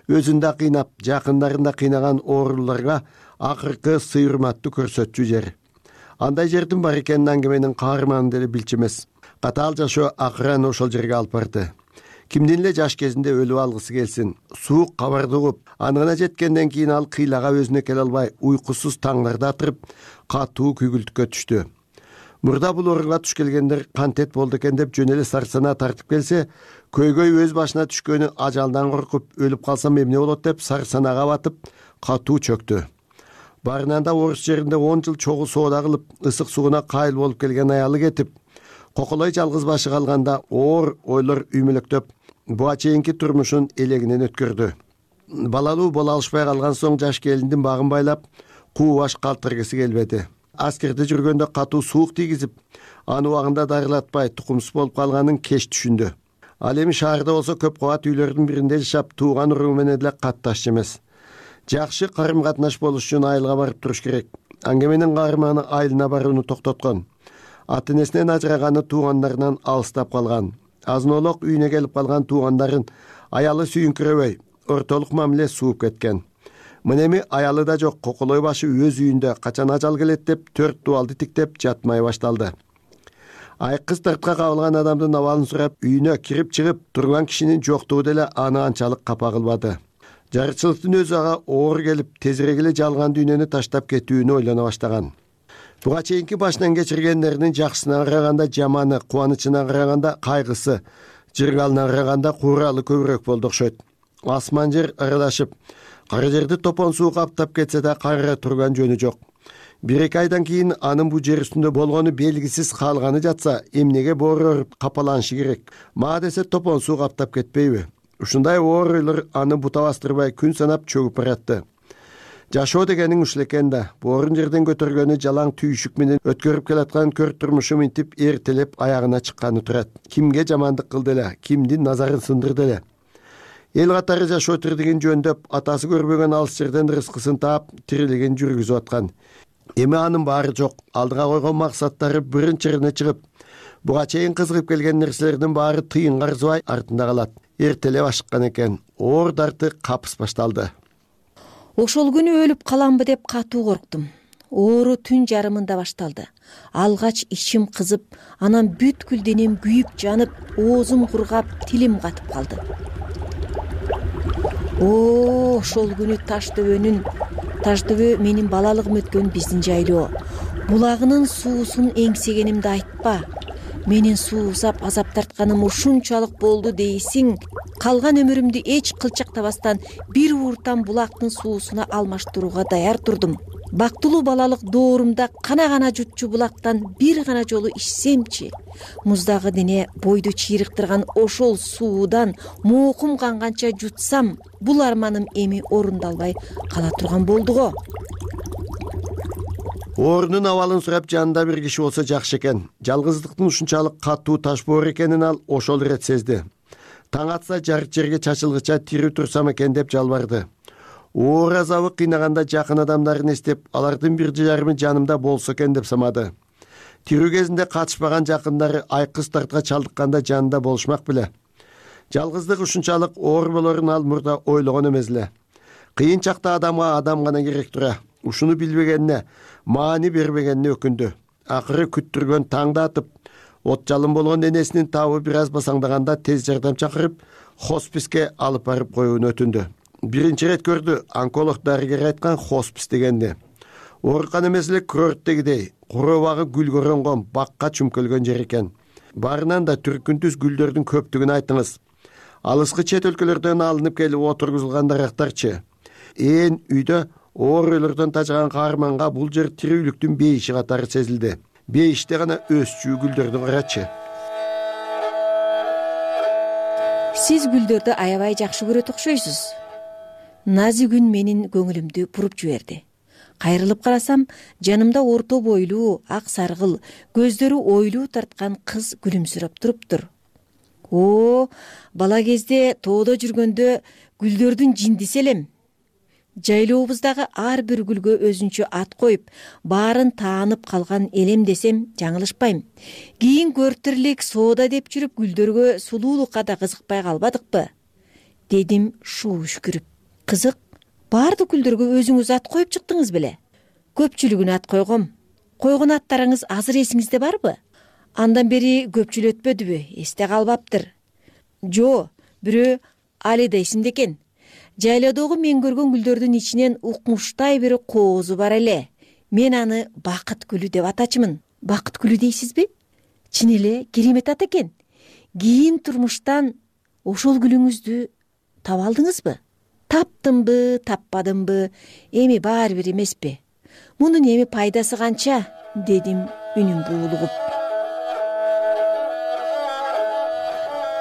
өзүн да кыйнап, жакындарын да кыйнаган ооруларга акыркы сый-урматтуу көрсөтчү жер. Андай жердин бар экенин аңгеменин каарманы деле билчү эмес. Катаал жашоо акырын ошол жерге алып барды. Кимдин эле жаш кезинде өлүп алгысы келсин. Суук кабарды угуп, анына жеткенден кийин ал кыйлага өзүнө келе албай, уйкусуз таңдарда атырып, катуу күйгүлтүккө түштү. Мурда бул орунга туш келгендер кантет болду экен деп жөн эле сарсанаа тартып келсе, көйгөй өз башына түшкөнү ажалдан коркуп, өлүп калсам эмне болот деп сарсанаага батып, катуу чөктү. Барынан да орус жеринде 10 жыл чогуу соода кылып, ысык сууна кайыл болуп келген аялы кетип, коколой жалгыз башы калганда оор ойлор үймөлөктөп, буга чейинки турмушун элегинен өткөрдү. Балалуу боло алышпай калган соң жаш келиндин багын байлап, куу баш калтыргысы келбеди. Аскерде жүргөндө катуу суук тийгизип, аны убагында дарылатпай тукумсуз болуп калганын кеч түшүндү. Ал эми шаарда болсо көп кабат үйлөрдүн биринде жашап, тууган уруу менен эле катташ эмес. Жакшы карым-катнаш болуш үчүн айылга барып туруш керек. Аңгеменин каарманы айылына барууну токтоткон. Ата-энесинен ажыраганы туугандарынан алыстап калган. Азын-олок үйүнө келип калган туугандарын аялы сүйүнкүрөбөй, ортолук мамиле сууп кеткен. Мына эми аялы да жок, коколой башы өз үйүндө качан ажал келет деп 4 дубалды тиктеп жатмай башталды. Айкыз тартка кабылган адамдын абалын сурап, үйүнө кирип чыгып турган кишинин жоктугу деле аны анчалык капа кылбады. Жарычылыктын өзү ага оор келип, тезирээк эле жалган дүйнөнү таштап кетүүнү ойлоно баштаган. Буга чейинки башынан кечиргендеринин жакшысына караганда жаманы, кубанычына караганда кайгысы, жыргалына караганда кууралы көбүрөөк болду окшойт. Асман жер аралашып, кара жерди топон суу каптап кетсе да кайра турган жөнү жок. 1-2 айдан кийин анын бу жер үстүндө болгону белгисиз калганы жатса, эмнеге боорор капаланышы керек? Ма десе топон суу каптап кетпейби? Ушундай оор ойлор аны бута бастырбай күн санап чөгүп баратты. Жашоо дегениң ушул экен да. Боорун жерден көтөргөнү жалаң түйүшүк менен өткөрүп келаткан көр турмушу минтип эртелеп аягына чыкканы турат. Кимге жамандык кылды эле, кимдин назарын сындырды эле? Эл катары жашоо тирдигин жөндөп, атасы көрбөгөн алыс жерден рызкысын таап, тирилигин жүргүзүп аткан. Эми анын баары жок. Алдыга койгон максаттары биринчирине чыгып, буга чейин кызыгып келген нерселердин баары тыйынга арзыбай артында калат. Эртелеп ашыккан экен. Оор дарты капыс башталды. Ошол күнү өлүп каламбы деп катуу корктум. Оору түн жарымында башталды. Алгач ичим кызып, анан бүткүл денем күйүп жанып, оозум кургап, тилим катып калды. Ошол күнү Ташдөбө менин балалыгым өткөн биздин жайлоо. Булагынын суусун эңсегенимди айтпа. Менин суусап азап тартканым ушунчалык болду дейсиң. Калган өмүрүмдү эч кылчактабастан бир ууртан булактын суусуна алмаштырууга даяр турдум. Бактылуу балалык доорумда кана жутчу булактан бир гана жолу ичсемчи, муздагы дене бойду чыйрыктырган ошол суудан моокум канганча жутсам, бул арманым эми орундалбай кала турган болду го. Оорунун абалын сурап жанында бир киши болсо жакшы экен. Жалгыздыктын ушунчалык катуу таш боор экенин ал ошол ирет сезди. Таң атса жарык жерге чачылгыча тирүү турсам экен деп жалбарды. Оор азабы кыйнаганда жакын адамдарын эстеп, алардын бир жарымы жанымда болсо экен деп самады. Тирүү кезинде катышпаган жакындары айкыз тартка чалдыкканда жанында болушмак беле. Жалгыздык ушунчалык оор болорун ал мурда ойлогон эмес эле. Кыйын чакта адамга адам гана керек тура. Ушуну билбегенине, маани бербегенине өкүндү. Акыры күттүргөн таңда атып, от жалын болгон энесинин табы бир аз басаңдаганда тез жардам чакырып, хосписке алып барып коюуну өтүндү. Биринчи ирет көрдү, онколог дарыгер айткан хоспис дегенди. Оорукан эмес эле курорттегидей, куроо багы гүл көрөнгөн, бакка чүмкөлгөн жер экен. Барынан да түркүнтүс гүлдөрдүн көптүгүн айтыңыз. Алыскы чет өлкөлөрдөн алынып келип отургузулган дарактарчы. Үйдө оор ойлордон тажаган каарманга бул жер тирүүлүктүн бейиши катары сезилди. Бейиште гана өсчү гүлдөрдү карачы. Сиз гүлдөрдү аябай жакшы көрөт окшойсуз. Нази күн менин көңүлүмдү буруп жиберди. Кайрылып карасам, жанымда орто бойлуу, ак саргыл, көздөрү ойлуу тарткан кыз күлүмсүрөп туруптур. Бала кезде тоодо жүргөндө гүлдөрдүн жиндиси элем. Жайлообуздагы ар бир гүлгө өзүнчө ат коюп, баарын таанып калган элем десем жаңылышпайм. Кийин көртүрлүк соода деп жүрүп гүлдөргө сулуулукка да кызыкпай калбадыкпы? Дедим шуу үшкүрүп. Кызык, баардык гүлдөргө өзүңүз ат коюп чыктыңыз беле? Көпчүлүгүнө ат койгом. Койгон аттарыңыз азыр эсиңизде барбы? Андан бери көпчүлөтпөдүбү, эсте калбаптыр. Жо, бирөө Алида исимде экен. Жайлоодогу мен көргөн гүлдөрдүн ичинен укмуштай бир коозу бар эле. Мен аны бакыт гүлү деп атачымын. Бакыт гүлү дейсизби? Чын эле керемет ат экен. Кийин турмуштан ошол гүлүңүздү таба алдыңызбы? Таптымбы, таппадымбы, эми баары бир эмеспи. Мунун эми пайдасы канча? Дедим үнүм буулугуп.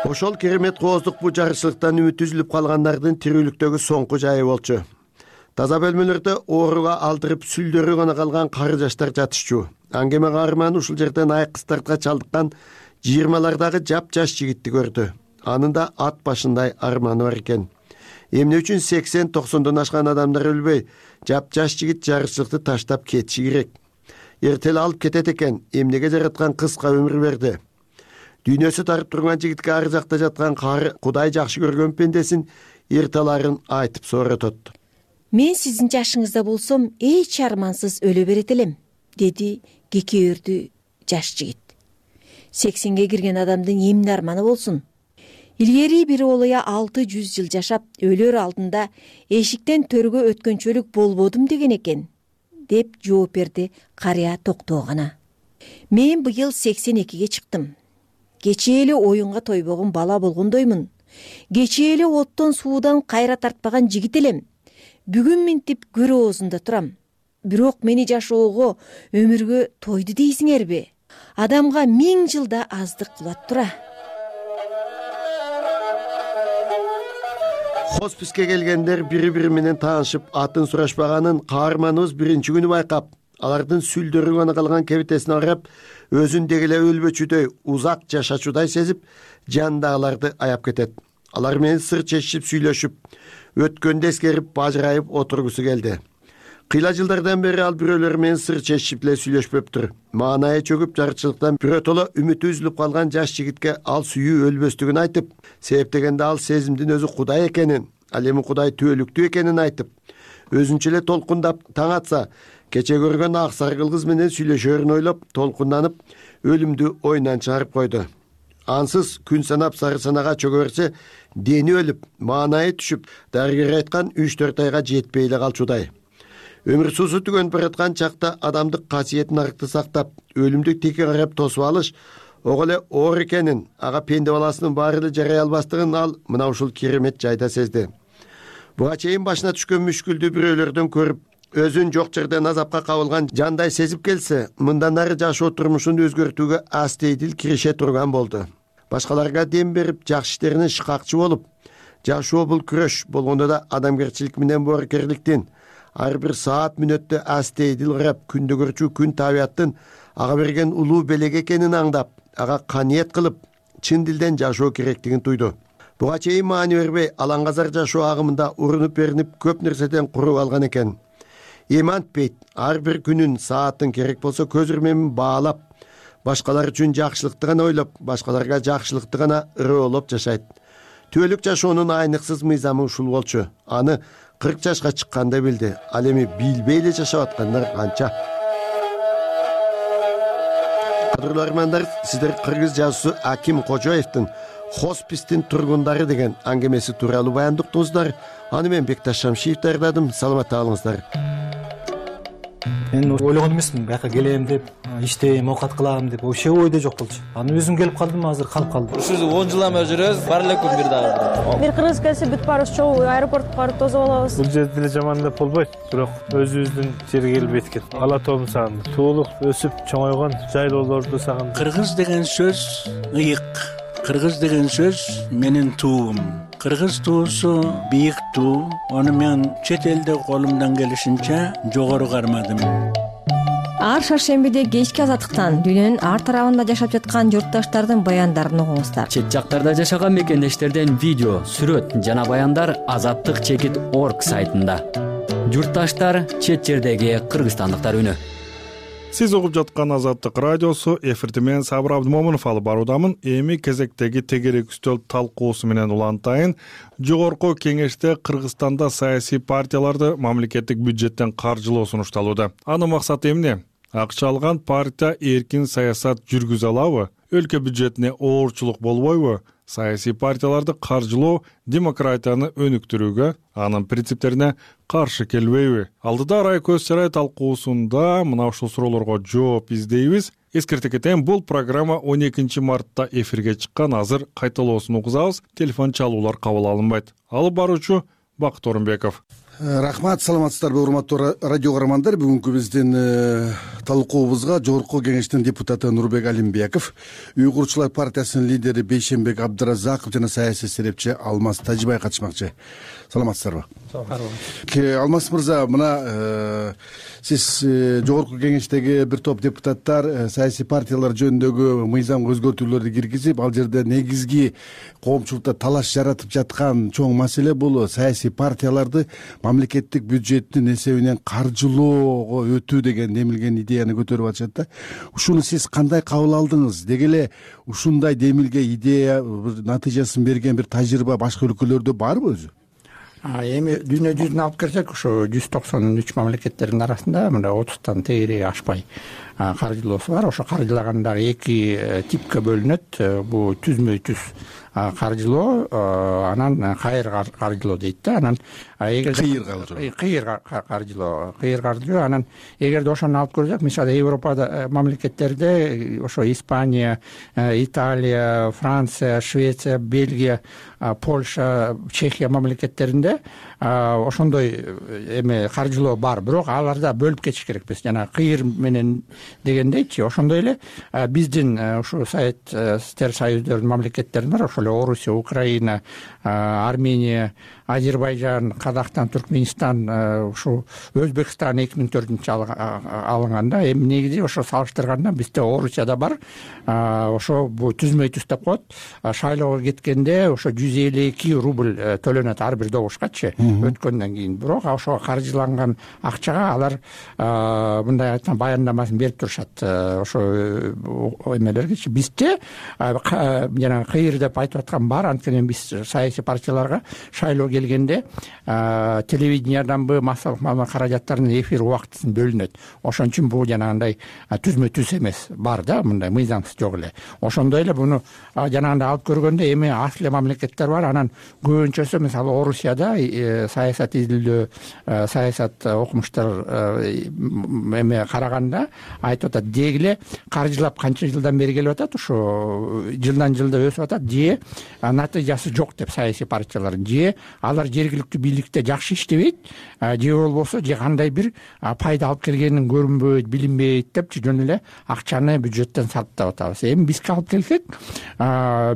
Ошол керемет кооздук бу жарычылыктан үмүт үзүлүп калгандардын тирүүлүктөгү соңку жайы болчу. Таза бөлмөлөрдө ооруга алдырып сүлдөрү гана калган кары жаштар жатышчу. Аңгеме каарманы ушул жерден айкыстартка чалдыккан 20-лардагы жап-жаш жигитти көрдү. Анын да ат башындай арманы бар экен. Эмне үчүн 80-90дон ашкан адамдар өлбөй, жап-жаш жигит жарычылыкты таштап кетиши керек? Эртел алып кетет экен, эмнеге жараткан кыска өмүр берди? Дүйнөсү тарып турган жигитке ар жакта жаткан кары Кудай жакшы көргөн пендесин эрталарын айтып сооротот. Мен сиздин жашыңызда болсом, эч армансыз өлө берет элем, деди кекеөрдү жаш жигит. 80ге кирген адамдын эмне арманы болсун? Илгери бир олуя 600 жыл жашап, өлөр алдында эшиктен төргө өткөнчөлүк болбодум деген экен, деп жооп берди карыя токтоо гана. Мен быйыл 82ге чыктым. Кечээ эле оюнга тойбогон бала болгондоймун. Кечээ эле оттон суудан кайра тартпаган жигит элем. Бүгүн минтип көр оозунда турам. Бирок мени жашоого, өмүргө тойду дейсиңерби? Адамга 1000 жылда аздык кылат тура. Хосписке келгендер бири-бири менен таанышып, атын сурашпаганын каарманыбыз биринчи күнү байкап, алардын сүлдөрү гана калган кебитесине карап, өзүн деги эле өлбөчүдөй, узак жашачудай сезип, жандагыларды аяп кетет. Алар менен сыр чечишип сүйлөшүп, өткөндү эскерип, бажырайып отургусу келди. Кыйла жылдардан бери ал бирөөлөр менен сыр чечишип эле сүйлөшпөптүр. Маанайы чөгүп, жарычылыктан биротоло үмүтү үзүлүп калган жаш жигитке ал сүйүү өлбөстүгүн айтып, себептегенде ал сезимдин өзү Кудай экенин, ал эми Кудай түбөлүктүү экенин айтып, өзүнчө эле толкундап таң атса, кече көргөн ак саргыл кыз менен сүйлөшөрүн ойлоп, толкунданып, өлүмдү оюнан чыгарып койду. Ансыз күн санап сары санага чөгө берсе, дени өлүп, маанайы түшүп, дарыгер айткан 3-4 айга жетпей эле калчудай. Өмүр суусу түгөнүп бараткан чакта адамдык касиетин аркты сактап, өлүмдүк тике карап тосуп алыш ого эле оор экенин, ага пенде баласынын баары эле жарай албастыгын ал мына ушул керемет жайда сезди. Буга чейин башына түшкөн мүшкүлдү бирөөлөрдөн көрүп, өзүн жок жерден азапка кабылган жандай сезип келсе, мындан ары жашоо турмушун өзгөртүүгө астейдил кирише турган болду. Башкаларга дем берип, жакшы иштеринин шыкакчы болуп, жашоо бул күрөш болгондо да адамгерчилик менен боорукерликтин, ар бир саат мүнөттө астейдил карап, күндө көрчү күн табияттын ага берген улуу белек экенин аңдап, ага каниет кылып, чын дилден жашоо керектигин туйду. Буга чейин маани бербей, алаңгазар жашоо агымында урунуп беринип, көп нерседен куруп алган экен. Эми антпейт, ар бир күнүн, саатын керек болсо көз ирмемин баалап, башкалар үчүн жакшылыкты гана ойлоп, башкаларга жакшылыкты гана ыроолоп жашайт. Түбөлүк жашоонун айныксыз мыйзамы ушул болчу. Аны 40 жашка чыкканда билди. Ал эми билбей эле жашап аткандар канча. Кадырлуу армандар, сиздер кыргыз жазуусу Аким Кожоевдин «Хоспистин тургундары» деген аңгемеси тууралуу баяндыктыңыздар. Аны мен Бекташ Шамшиев даярдадым. Саламатта калыңыздар. Мен ойлогон эмесмин, бияка келем деп, иштейм, оокат кылам деп, вообще ойдо жок болчу. Аны өзүм келип калдым, азыр калып калдым. Ушул 10 жылдан бери жүрөбүз, бар эле күн бир дагы. Бир кыргыз келсе бүт баарыбыз чогуу аэропортко барып тосуп алабыз. Бул жерде деле жаман деп болбойт, бирок өзүбүздүн жерге келип эткен. Ала тоомду сагындым. Туулуп, өсүп, чоңойгон жайлоолорду сагындым. Кыргыз деген сөз ыйык. Кыргыз деген сөз менин туум. Кыргыз туусу бийик туу. Аны мен чет элде колумдан келишинче жогору кармадым. Ар шаршембиде кечки азаттыктан дүйнөнүн ар тарабында жашап жаткан журтташтардын баяндарын угуңуздар. Чет жактарда жашаган мекендештерден видео, сүрөт жана баяндар azattik.org сайтында. Журтташтар, чет жердеги кыргызстандыктар үнү. Сиз угуп жаткан Азаттык радиосу, эфирде мен Сабыр Абдымомунов алып баруудамын. Эми кезектеги тегерек үстөл талкуусу менен улантайын. Жогорку кеңеште Кыргызстанда саясий партияларды мамлекеттик бюджеттен каржылоо сунушталууда. Анын максаты эмне? акча алган партия эркин саясат жүргүзө алабы? Өлкө бюджетине оорчулук болбойбу? Саясий партияларды каржылоо демократияны өнүктүрүүгө, анын принциптерине каршы келбейби? Алдыда Арай көз чарай талкуусунда мына ушул суроолорго жооп издейбиз. Эскерте кетейин, бул программа 12 мартта эфирге чыккан, азыр кайталоосун угузабыз. Телефон чалуулар кабыл алынбайт. Алып баруучу Бакыт Орунбеков. Рахмат, саламатсыздарбы урматтуу радио каармандар. Бүгүнкү биздин талкуубузга Жогорку Кеңештин депутаты Нурбек Алимбеков, Үй курчулар партиясынын лидери Бейшенбек Абдыразаков жана саясий серепчи Алмаз Тажибай катышмакчы. Саламатсыздарбы? Алмаз мырза, мына сиз Жогорку Кеңештеги бир топ депутаттар саясий партиялар жөнүндөгү мыйзам өзгөртүүлөрдү киргизип, ал жерде негизги коомчулукта талаш жаратып жаткан чоң маселе бул саясий партияларды мамлекеттик бюджеттин эсебинен каржылоого өтүү деген демилген идеяны көтөрүп атышат да. Ушуну сиз кандай кабыл алдыңыз? Деги эле ушундай демилге идея натыйжасын берген бир тажрыйба башка өлкөлөрдө барбы өзү? Эми дүйнө жүзүнө алып келсек, ушу 193 мамлекеттердин арасында мындай 30тан тегереги ашпай каржылоосу бар. Ошо каржылаганда эки типке бөлүнөт. Бул түзмө түз каржылоо, анан кайыр каржылоо дейт да. Анан кыйыр каржылоо, анан эгерде ошону алып көрсөк, мисалы Европада мамлекеттерде ошо Испания, Италия, Франция, Швеция, Бельгия, Польша, Чехия мамлекеттеринде ошондой эме каржылоо бар. Бирок аларда бөлүп кетиш керекпиз. Жана кыйыр менен дегендейчи, ошондой эле биздин ушу Советтер Союздорунун мамлекеттеринде бар, ошо эле Орусия, Украина, Армения, Азербайжан, Казакстан, Түркмөнстан, ушу Өзбекстан 2004-жылы алынганда, эми негизи ошо салыштырганда бизде Орусияда бар. Ошо бул түзмө түз деп коет. Шайлоого кеткенде ошо 152 рубль төлөнөт ар бир добушкачы өткөндөн кийин. Бирок ошого каржыланган акчага алар мындай айтканда баяндамасын берип турушат. Ошо эмелергечи бизде жана кыйыр деп айтып аткан бар. Анткени биз саясий партияларга шайлоо келгенде телевиденияданбы массалык каражаттардын эфир убактысын бөлүнөт. Ошон үчүн бул жанагындай түзмө түз эмес бар да, мындай мыйзамсыз жок эле. Ошондой эле буну жанагындай алып көргөндө эми аз эле мамлекеттер бар. Анан көбүнчөсү мисалы Орусияда саясат изилдөө, саясат окумуштар эме караганда айтып атат, деги эле каржылап канча жылдан бери келип атат, ошо жылдан жылда өсүп атат, же натыйжасы жок деп саясий партиялардын, же алар жергиликтүү бийликте жакшы иштебейт, же болбосо же кандай бир пайда алып келгенин көрүнбөйт, билинбейт депчи жөн эле акчаны бюджеттен сарптап атабыз. Эми бизге алып келсек,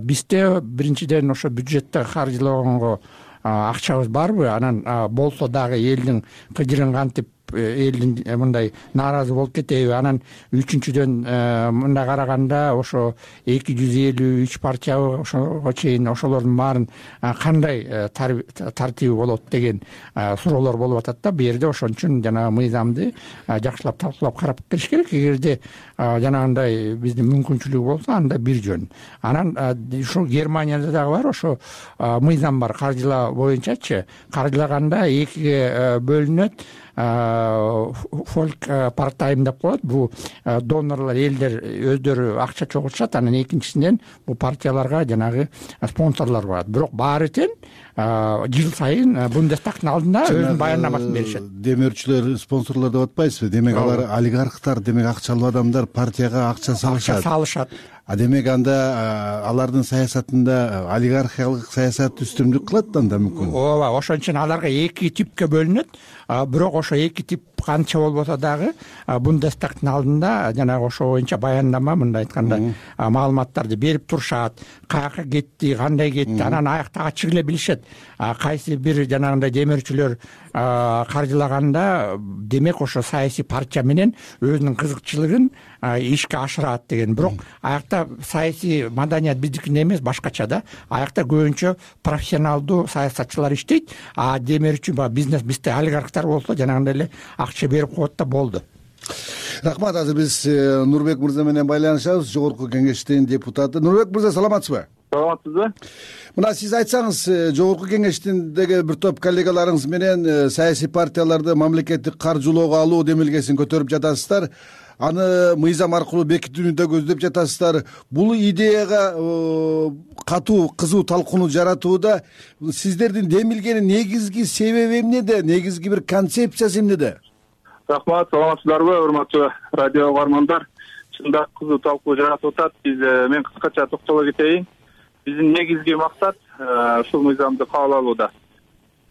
бизде биринчиден ошо бюджетте каржылаганга акчабыз барбы? Анан болсо дагы элдин кыжырын кантип элдин мындай нааразы болуп кетеби? Анан үчүнчүдөн мындай караганда ошо 253 партиябы ошого чейин ошолордун баарын кандай тартиби болот деген суроолор болуп атат да. Бу жерде ошон үчүн жанагы мыйзамды жакшылап талкуулап карап келиш керек. Эгерде жанагындай биздин мүмкүнчүлүгү болсо, анда бир жөн. Анан ушул Германияда дагы бар, ошо мыйзам бар каржылоо боюнчачы. Каржылаганда экиге бөлүнөт. Фолк парт-тайм деп коет. Бул донорлор, элдер өздөрү акча чогултушат. Анан экинчисинен бул партияларга жанагы спонсорлор барат. Бирок баары тең жыл сайын Бундестагтын алдында өзүнүн баяндамасын беришет. Демөөрчүлөр, спонсорлор деп атпайсызбы? Демек алар олигархтар, демек акчалуу адамдар партияга акча салышат. Демек анда алардын саясатында олигархиялык саясат үстүмдүк кылат да, анда мүмкүн. Ооба, ошон үчүн аларга эки типке бөлүнөт. Бирок ошо эки тип канча болбосо дагы Бундестагтын алдында жанагы ошо боюнча баяндама, мындай айтканда маалыматтарды берип турушат. Каяка кетти, кандай кетти, анан аякта ачык эле билишет. Кайсы бир жанагындай демөөрчүлөр каржылаганда, демек ошо саясий партия менен өзүнүн кызыкчылыгын ишке ашырат деген. Бирок аякта саясий маданият биздикиндей эмес, башкача да. Аякта көбүнчө профессионалдуу саясатчылар иштейт. Демөөрчү бизнес, бизде олигархтар болсо жанагындай эле акча берип коет да болду. Рахмат. Азыр биз Нурбек мырза менен байланышабыз, Жогорку Кеңештин депутаты. Нурбек мырза, саламатсызбы? Саламатсызбы? Мына сиз айтсаңыз, Жогорку Кеңештиндеги бир топ коллегаларыңыз менен саясий партияларды мамлекеттик каржылоого алуу демилгесин көтөрүп жатасыздар. аны мыйзам аркылуу бекитүүнү да көздөп жатасыздар. Бул идеяга катуу кызуу талкууну жаратууда сиздердин демилгени негизги себеби эмнеде, негизги бир концепциясы эмнеде? Рахмат, саламатсыздарбы, урматтуу радио угармандар. Чындап кызуу талкуу жаратып атат. Мен кыскача токтоло кетейин. Биздин негизги максат ушул мыйзамды кабыл алууда.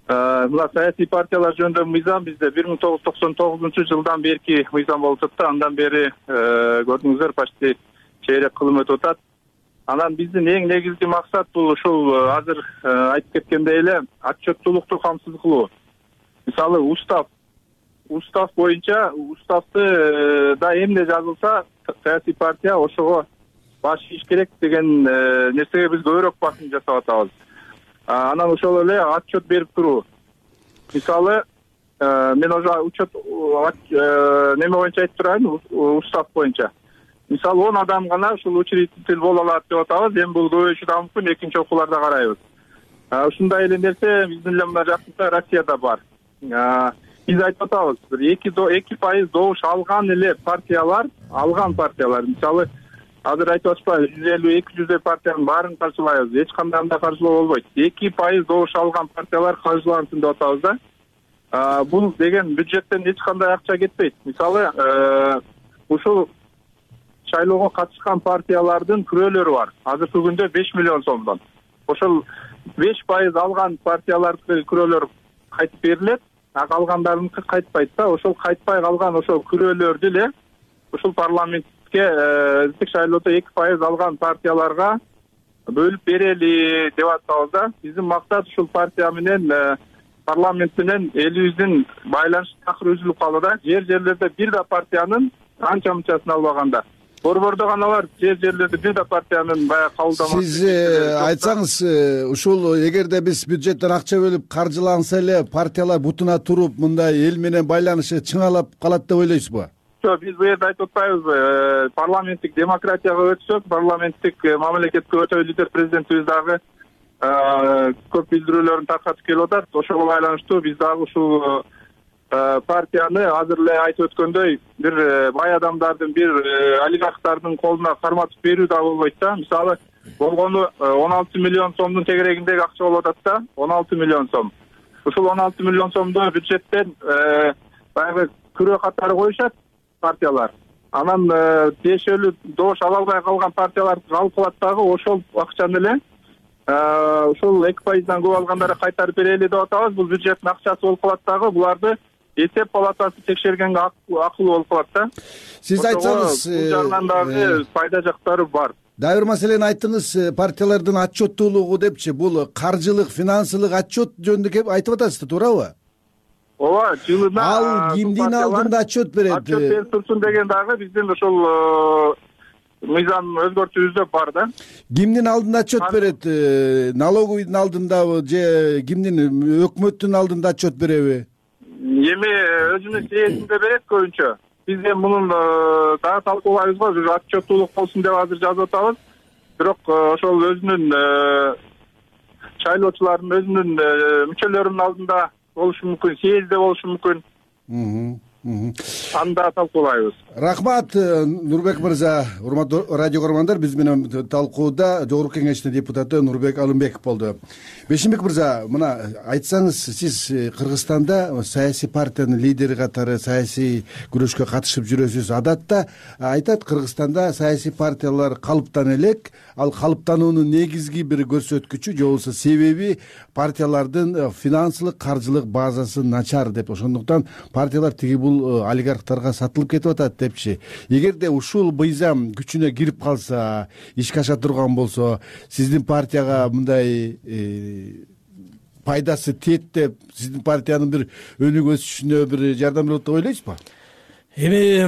Мына саясий партиялар жөнүндө мыйзам бизде 1999-жылдан берки мыйзам болуп атат. Андан бери көрдүңүздөр почти чейрек кылым өтүп атат. Анан биздин эң негизги максат бул ушул азыр айтып кеткендей эле отчеттуулукту камсыз кылуу. Мисалы устав боюнча уставды да эмне жазылса саясий партия ошого баш ийиш керек деген нерсеге биз көбүрөөк басым жасап атабыз. Анан ошол эле отчет берип туруу. Мисалы мен уже учет неме боюнча айтып турайын, устав боюнча. Мисалы 10 адам гана ушул учредитель боло алат деп атабыз. Эми бул көбөйүшү да мүмкүн, экинчи окууларда карайбыз. Ушундай эле нерсе биздин эле мына жакында Россияда бар. Биз айтып атабыз, 2% добуш алган партиялар, мисалы азыр айтып атпайбы, 150-200 партиянын баарын каршылайбыз, эч кандай андай каршылоо болбойт. 2% добуш алган партиялар каршылансын деп атабыз да. Бул деген бюджеттен эч кандай акча кетпейт. Мисалы ушул шайлоого катышкан партиялардын күрөөлөрү бар. Азыркы күндө 5 миллион сомдон. Ошол 5% алган партиялардын күрөөлөрү кайтып берилет, калгандарыныкы кайтпайт да. Ошол кайтпай калган ошол күрөөлөрдү эле ушул парламентке эзиктик шайлоодо 2% алган партияларга бөлүп берели деп атабыз да. Биздин максат ушул партия менен парламент менен элибиздин байланыш такыр үзүлүп калды да. Жерлерде бир да партиянын анча мынчасын албаганда. Борбордо гана бар, жерлерде бир да партиянын баягы кабылдамасы. Сиз айтсаңыз, ушул эгерде биз бюджеттен акча бөлүп каржыланса эле партиялар бутуна туруп мындай эл менен байланышы чыңалап калат деп ойлойсузбу? Жок, биз бул жерде айтып атпайбыз. Парламенттик демократияга өтсөк, парламенттик мамлекетке өтө лидер президентибиз дагы көп билдирүүлөрүн таркатып келип атат. Ошого байланыштуу биз дагы ушул партияны азыр эле айтып өткөндөй бир бай адамдардын, бир олигархтардын колуна карматып берүү да болбойт да. Мисалы болгону 16 миллион сомдун тегерегиндеги акча болуп атат да, 16 миллион сом. Ушул 16 миллион сомду бюджеттен баягы күрөө катары коюшат партиялар. Анан тиешелүү добуш ала албай калган партиялар калып калат дагы, ошол акчаны эле ушул 2%дан көп алгандары кайтарып берели деп атабыз. Бул бюджеттин акчасы болуп калат дагы, буларды эсеп палатасы текшергенге акылуу болуп калат да. Сиз айтсаңыз, бул жагынан дагы пайда жактары бар. Дагы бир маселени айттыңыз, партиялардын отчеттуулугу депчи. Бул каржылык, финансылык отчет жөнүндө кеп айтып атасыз, туурабы? Ооба, жылына ал кимдин алдында отчет берет? Отчет берип турсун деген дагы биздин ошол мыйзам өзгөртүүбүздө бар да. Кимдин алдында отчет берет? Налоговыйдын алдындабы же кимдин, өкмөттүн алдында отчет береби? Эми өзүнүн сээсинде берет көбүнчө. Биз эми мунун дагы талкуулайбыз го, отчеттуулук болсун деп азыр жазып атабыз. Бирок ошол өзүнүн шайлоочулардын өзүнүн мүчөлөрүнүн алдында болушу мүмкүн, съездде болушу мүмкүн. Анда талкуулайбыз. Рахмат, Нурбек мырза. Урматтуу радио көрөрмандар, биз менен талкууда Жогорку Кеңештин депутаты Нурбек Алымбеков болду. Бешимбек мырза, мына айтсаңыз, сиз Кыргызстанда саясий партиянын лидери катары саясий күрөшкө катышып жүрөсүз. Адатта айтат, Кыргызстанда саясий партиялар калыптан элек, ал калыптануунун негизги бир көрсөткүчү же болбосо себеби партиялардын финансылык, каржылык базасы начар деп. Ошондуктан партиялар тиги бул олигархтарга сатылып кетип атат депчи. Эгерде ушул мыйзам күчүнө кирип калса, ишке аша турган болсо, сиздин партияга мындай пайдасы тиет деп, сиздин партиянын бир өнүгүп өсүшүнө бир жардам берет деп ойлойсузбу? Эми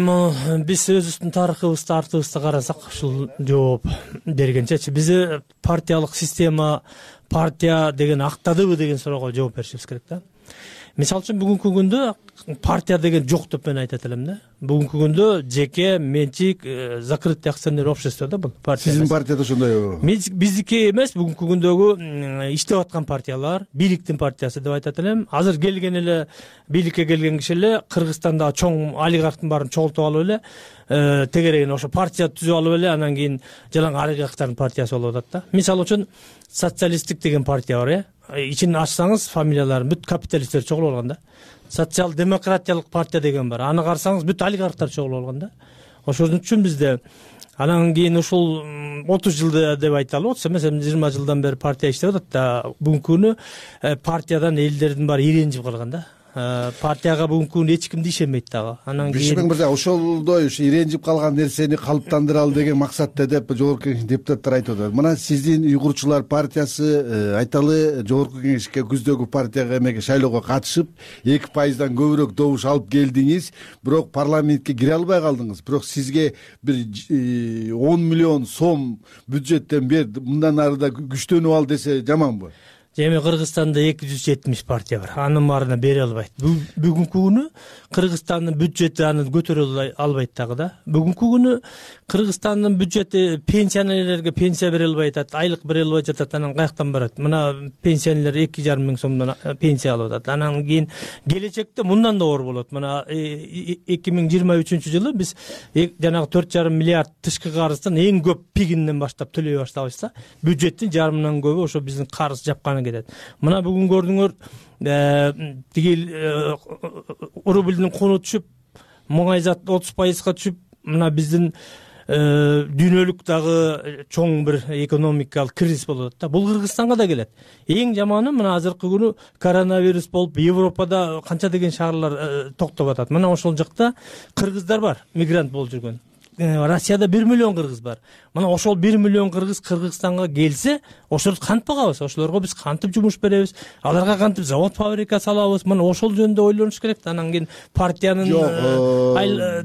биз өзүбүздүн тарыхыбызды, артыбызды карасак, ушул жооп бергенчечи биз партиялык система, партия деген актадыбы деген суроого жооп беришибиз керек да. мисалы үчүн бүгүнкү күндө партия деген жок деп мен айтат элем да. Бүгүнкү күндө жеке менчик закрытый акционер общество да бул партия. Сиздин партияда ошондойбу? Биздики эмес, бүгүнкү күндөгү иштеп аткан партиялар, бийликтин партиясы деп айтат элем. Азыр келген эле бийликке келген киши эле Кыргызстанда чоң олигархтын баарын чогултуп алып эле тегерегин ошо партия түзүп алып эле анан кийин жалаң олигархтардын партиясы болуп атат да. Мисалы үчүн социалисттик деген партия бар, ичин ачсаңыз фамилияларын бүт капиталисттер чогулуп алган да. Социал демократиялык партия деген бар. Аны карасаңыз бүт олигархтар чогулуп алган да. Ошон үчүн бизде анан кийин ушул 30 жылда деп айталы, 30 эмес, 20 жылдан бери партия иштеп атат да. Бүгүнкү күнү партиядан элдердин баары иренжип калган да. Партияга бүгүнкү күнү эч ким ишенбейт дагы. Анан кийин Бишмең мырза, ошолдой иренжип калган нерсени калыптандыралы деген максатта деп жогорку кеңеш депутаттар айтып атат. Мына сиздин уйгурчулар партиясы айталы жогорку кеңешке күздөгү партияга эмеге шайлоого катышып 2%дан көбүрөөк добуш алып келдиңиз, бирок парламентке кире албай калдыңыз. Бирок сизге бир 10 миллион сом бюджеттен бер, мындан ары да күчтөнүп ал десе жаманбы? Эми Кыргызстанда 270 партия бар. Анын баарына бере албайт. Бүгүнкү күнү Кыргызстандын бюджети аны көтөрө албайт дагы да. Бүгүнкү күнү Кыргызстандын бюджети пенсионерлерге пенсия бере албай атат, айлык бере албай жатат. Анан каяктан барат? Мына пенсионерлер 2,5 миң сомдон пенсия алып атат. Анан кийин келечекте мындан да оор болот. Мына 2023 биз жанагы 4,5 миллиард тышкы карыздын эң көп пигинен баштап төлөй баштабыз да. Бюджеттин жарымынан көбү ошо биздин карыз жапканы кетет. Мына бүгүн көрдүңөр, тиги рубльдин куну түшүп, муңайзат 30%га түшүп, мына биздин дүйнөлүк дагы чоң бир экономикалык кризис болуп атат да. Бул Кыргызстанга да келет. Эң жаманы мына азыркы күнү коронавирус болуп, Европада канча деген шаарлар токтоп атат. Мына ошол жакта кыргыздар бар, мигрант болуп жүргөн. Россияда 1 миллион кыргыз бар. Мына ошол 1 миллион кыргыз Кыргызстанга келсе, ошолорду кантип багабыз? Ошолорго биз кантип жумуш беребиз? Аларга кантип завод, фабрика салабыз? Мына ошол жөнүндө ойлонуш керек да. Анан кийин партиянын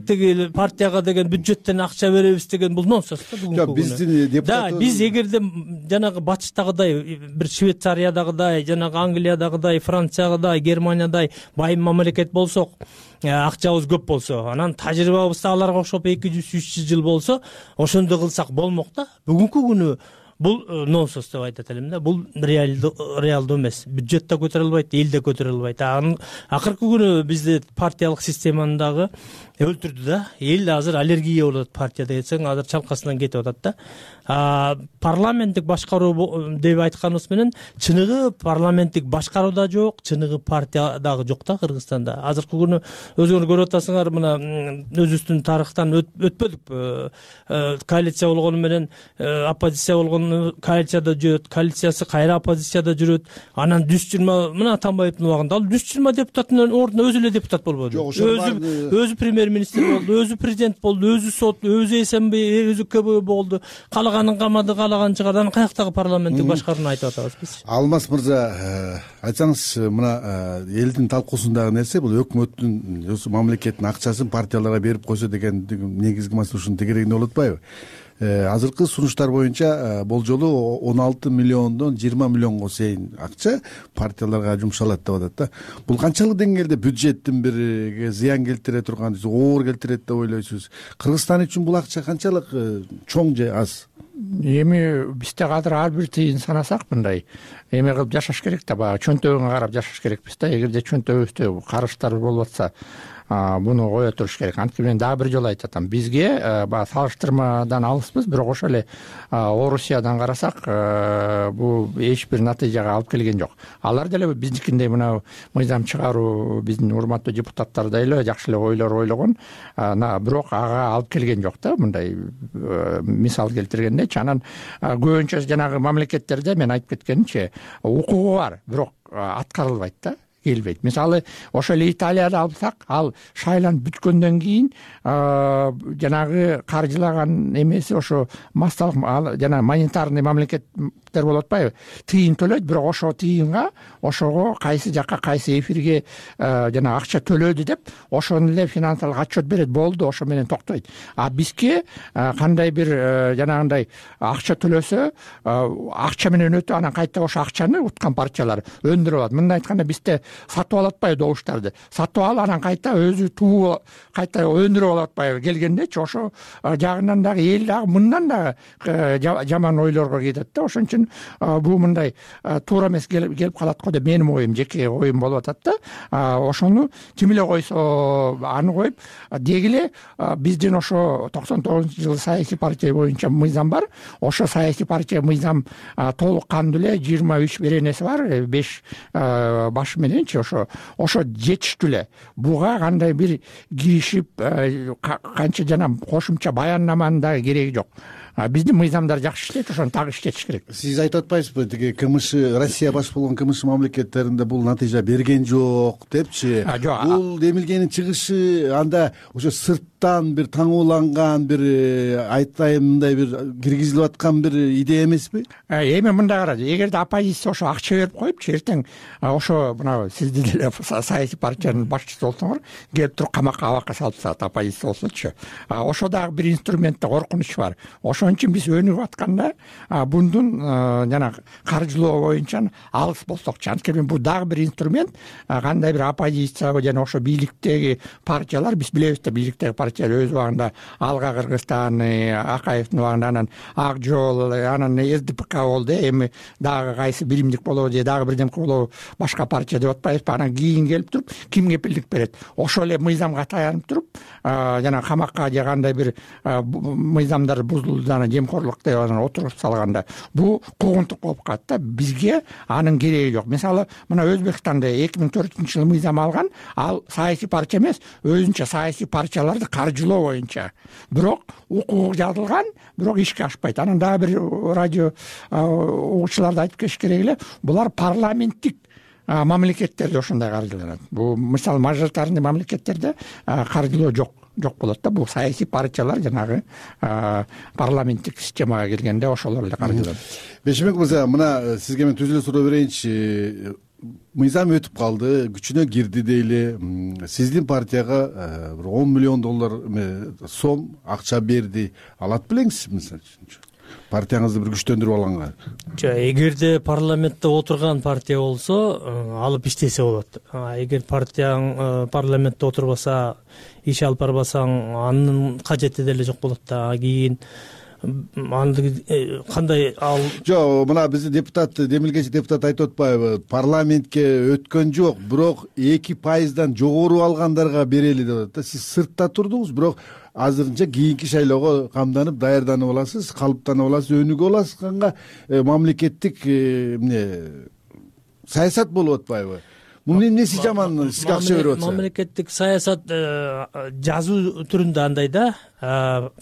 тиги партияга деген бюджеттен акча беребиз деген бул нонсенс да бүгүнкү күнү. Биздин депутат Да, биз эгерде жанагы батыштагыдай, бир Швейцариядагыдай, жанагы Англиядагыдай, Франциядагыдай, Германиядагыдай байым мамлекет болсок, акчабыз көп болсо, анан тажрыйбабыз да аларга окшоп 200-300 жыл болсо, ошондой кылсак болмок да. Бүгүнкү күнү бул нонсенс деп айтат элем да. Бул реалдуу эмес. Бюджет да көтөрө албайт, эл да көтөрө албайт. Акыркы күнү бизде партиялык системаны дагы өлтүрдү да. Эл азыр аллергия болот партия десең, азыр чалкасынан кетип атат да. Парламенттик башкаруу деп айтканыбыз менен чыныгы парламенттик башкаруу да жок, чыныгы партия дагы жок да Кыргызстанда. Азыркы күнү өзүңөр көрүп атасыңар, мына өзүбүздүн тарыхтан өтпөдүк. Коалиция болгону менен оппозиция болгону коалицияда жүрөт, коалициясы кайра оппозицияда жүрөт. Анан дүз журма, мына Атамбаевдин убагында ал дүз журма депутаттын ордуна өзү эле депутат болбоду. Өзү премьер-министр болду, өзү президент болду, өзү сот, өзү СМБ, өзү КБ болду. Каалаганын камады, каалаганын чыгарды. Анан каяктагы парламенттик башкарууну айтып атабыз биз? Алмаз мырза, айтсаңыз, мына элдин талкуусундагы нерсе бул өкмөттүн, мамлекеттин акчасын партияларга берип койсо деген негизги маселе ушунун тегерегинде болуп атпайбы? Азыркы сунуштар боюнча болжолу 16 миллиондон 20 миллионго чейин акча партияларга жумшалат деп атат да. Бул канчалык деңгээлде бюджеттин бир зыян келтире турган, оор келтирет деп ойлойсуз? Кыргызстан үчүн бул акча канчалык чоң же аз? Эми бизде азыр ар бир тыйын санасак мындай эме кылып жашаш керек да, баягы чөнтөгүнгө карап жашаш керекпиз да. Эгерде чөнтөгүбүздө карыштар болуп атса, буну кое туруш керек. Анткени мен дагы бир жолу айтып атам, бизге баягы салыштырмадан алыспыз, бирок ошол эле Орусиядан карасак, бул эч бир натыйжага алып келген жок. Алар деле биздикиндей мына мыйзам чыгаруу, биздин урматтуу депутаттардай эле жакшы эле ойлор ойлогон, бирок ага алып келген жок да. Мындай мисал келтиргендечи, анан көбүнчө жанагы мамлекеттерде мен айтып кеткенимче укугу бар, бирок аткарылбайт да. Келбейт. Мисалы, ошол Италияда алсак, ал шайланып бүткөндөн кийин жанагы каржылаган эмеси ошо массалык жана монетарный мамлекеттер болуп атпайбы? Тыйын төлөйт, бирок ошо тыйынга, ошого кайсы жакка, кайсы эфирге жана акча төлөдү деп, ошону эле финансылык отчет берет, болду, ошо менен токтойт. А бизге кандай бир жанагындай акча төлөсө, акча менен өтүп, анан кайта ошо акчаны уткан партиялар өндүрүп алат. Мындай айтканда бизде сатып алып атпайбы добуштарды, сатып алып анан кайта өзү тууп кайта өндүрүп алып атпайбы келгендечи. Ошо жагынан дагы эл дагы мындан дагы жаман ойлорго кетет да. Ошон үчүн бул мындай туура эмес келип калат го деп менин оюм, жеке оюм болуп атат да. Ошону ким эле койсо аны коюп деги эле биздин ошо 99-жылы саясий партия боюнча мыйзам бар. Ошо саясий партия мыйзам толук кандуу эле 23 беренеси бар, 5 башы мененчи. Ошо жетиштүү эле. Буга кандай бир киришип канча жана кошумча баяннаманын дагы кереги жок. Биздин мыйзамдар жакшы иштейт, ошону так иштетиш керек. Сиз айтып атпайсызбы, тиги КМШ, Россия баш болгон КМШ мамлекеттеринде бул натыйжа берген жок депчи? Бул демилгенин чыгышы анда ошо сырттан бир таңууланган бир айтайын мындай бир киргизилип аткан бир идея эмеспи? Эми мындай караңыз, эгерде оппозиция ошо акча берип коюпчу, эртең ошо мына сиз деле саясий партиянын башчысы болсоңор, келип туруп камакка абакка салып тастагат оппозиция болсочу. Ошо дагы бир инструментте коркунуч бар. Ошон үчүн биз өнүгүп атканда бундун жана каржылоо боюнча алыс болсокчу. Анткени бул дагы бир инструмент. Кандай бир оппозиция жана ошо бийликтеги партиялар, биз билебиз да, бийликтеги партиялар өз убагында Алга Кыргызстан, Акаевдин убагында анан Ак Жол, анан СДПК болду. Эми дагы кайсы биримдик болобу же дагы бирдемке болобу, башка партия деп атпайбызбы? Анан кийин келип туруп ким кепилдик берет? Ошол эле мыйзамга таянып туруп жана камакка же кандай бир мыйзамдар бузулду, анан жемкорлук деп анан отуруп салганда бул куугунтук болуп калат да. Бизге анын кереги жок. Мисалы мына Өзбекстанда 2004-жылы мыйзам алган, ал саясий партия эмес, өзүнчө саясий партияларды каржылоо боюнча. Бирок укугу жазылган, бирок ишке ашпайт. Анан дагы бир радио угуучуларды айтып кетиш керек эле, булар парламенттик мамлекеттерде ошондой каржыланат. Бул мисалы мажоритарный мамлекеттерде каржылоо жок болот да. Бул саясий партиялар жанагы парламенттик системага келгенде ошолор эле каржыланат. Бейшенбек мырза, мына сизге мен түзүлө суроо берейинчи. Мыйзам өтүп калды, күчүнө кирди дейли. Сиздин партияга бир 10 миллион доллар сом акча берди. Алат белеңиз мисалы үчүн? Партияңызды бир күчтөндүрүп алганга. Эгерде парламентте отурган партия болсо, алып иштесе болот. Эгер партияң парламентте отурбаса, иш алып барбасаң, анын кажети деле жок болот да. Кийин кандай ал жок, мына биздин депутат, демилгечи депутат айтып атпайбы? Парламентке өткөн жок, бирок 2% жогору алгандарга берели деп атат. Сиз сыртта турдуңуз, бирок азырынча кийинки шайлоого камданып, даярданып аласыз, калыптанып аласыз, өнүгүп аласыз. Канга мамлекеттик саясат болуп атпайбы? Мунун эмнеси жаман сизге акча берип атса? Мамлекеттик саясат жазуу түрүндө андай да.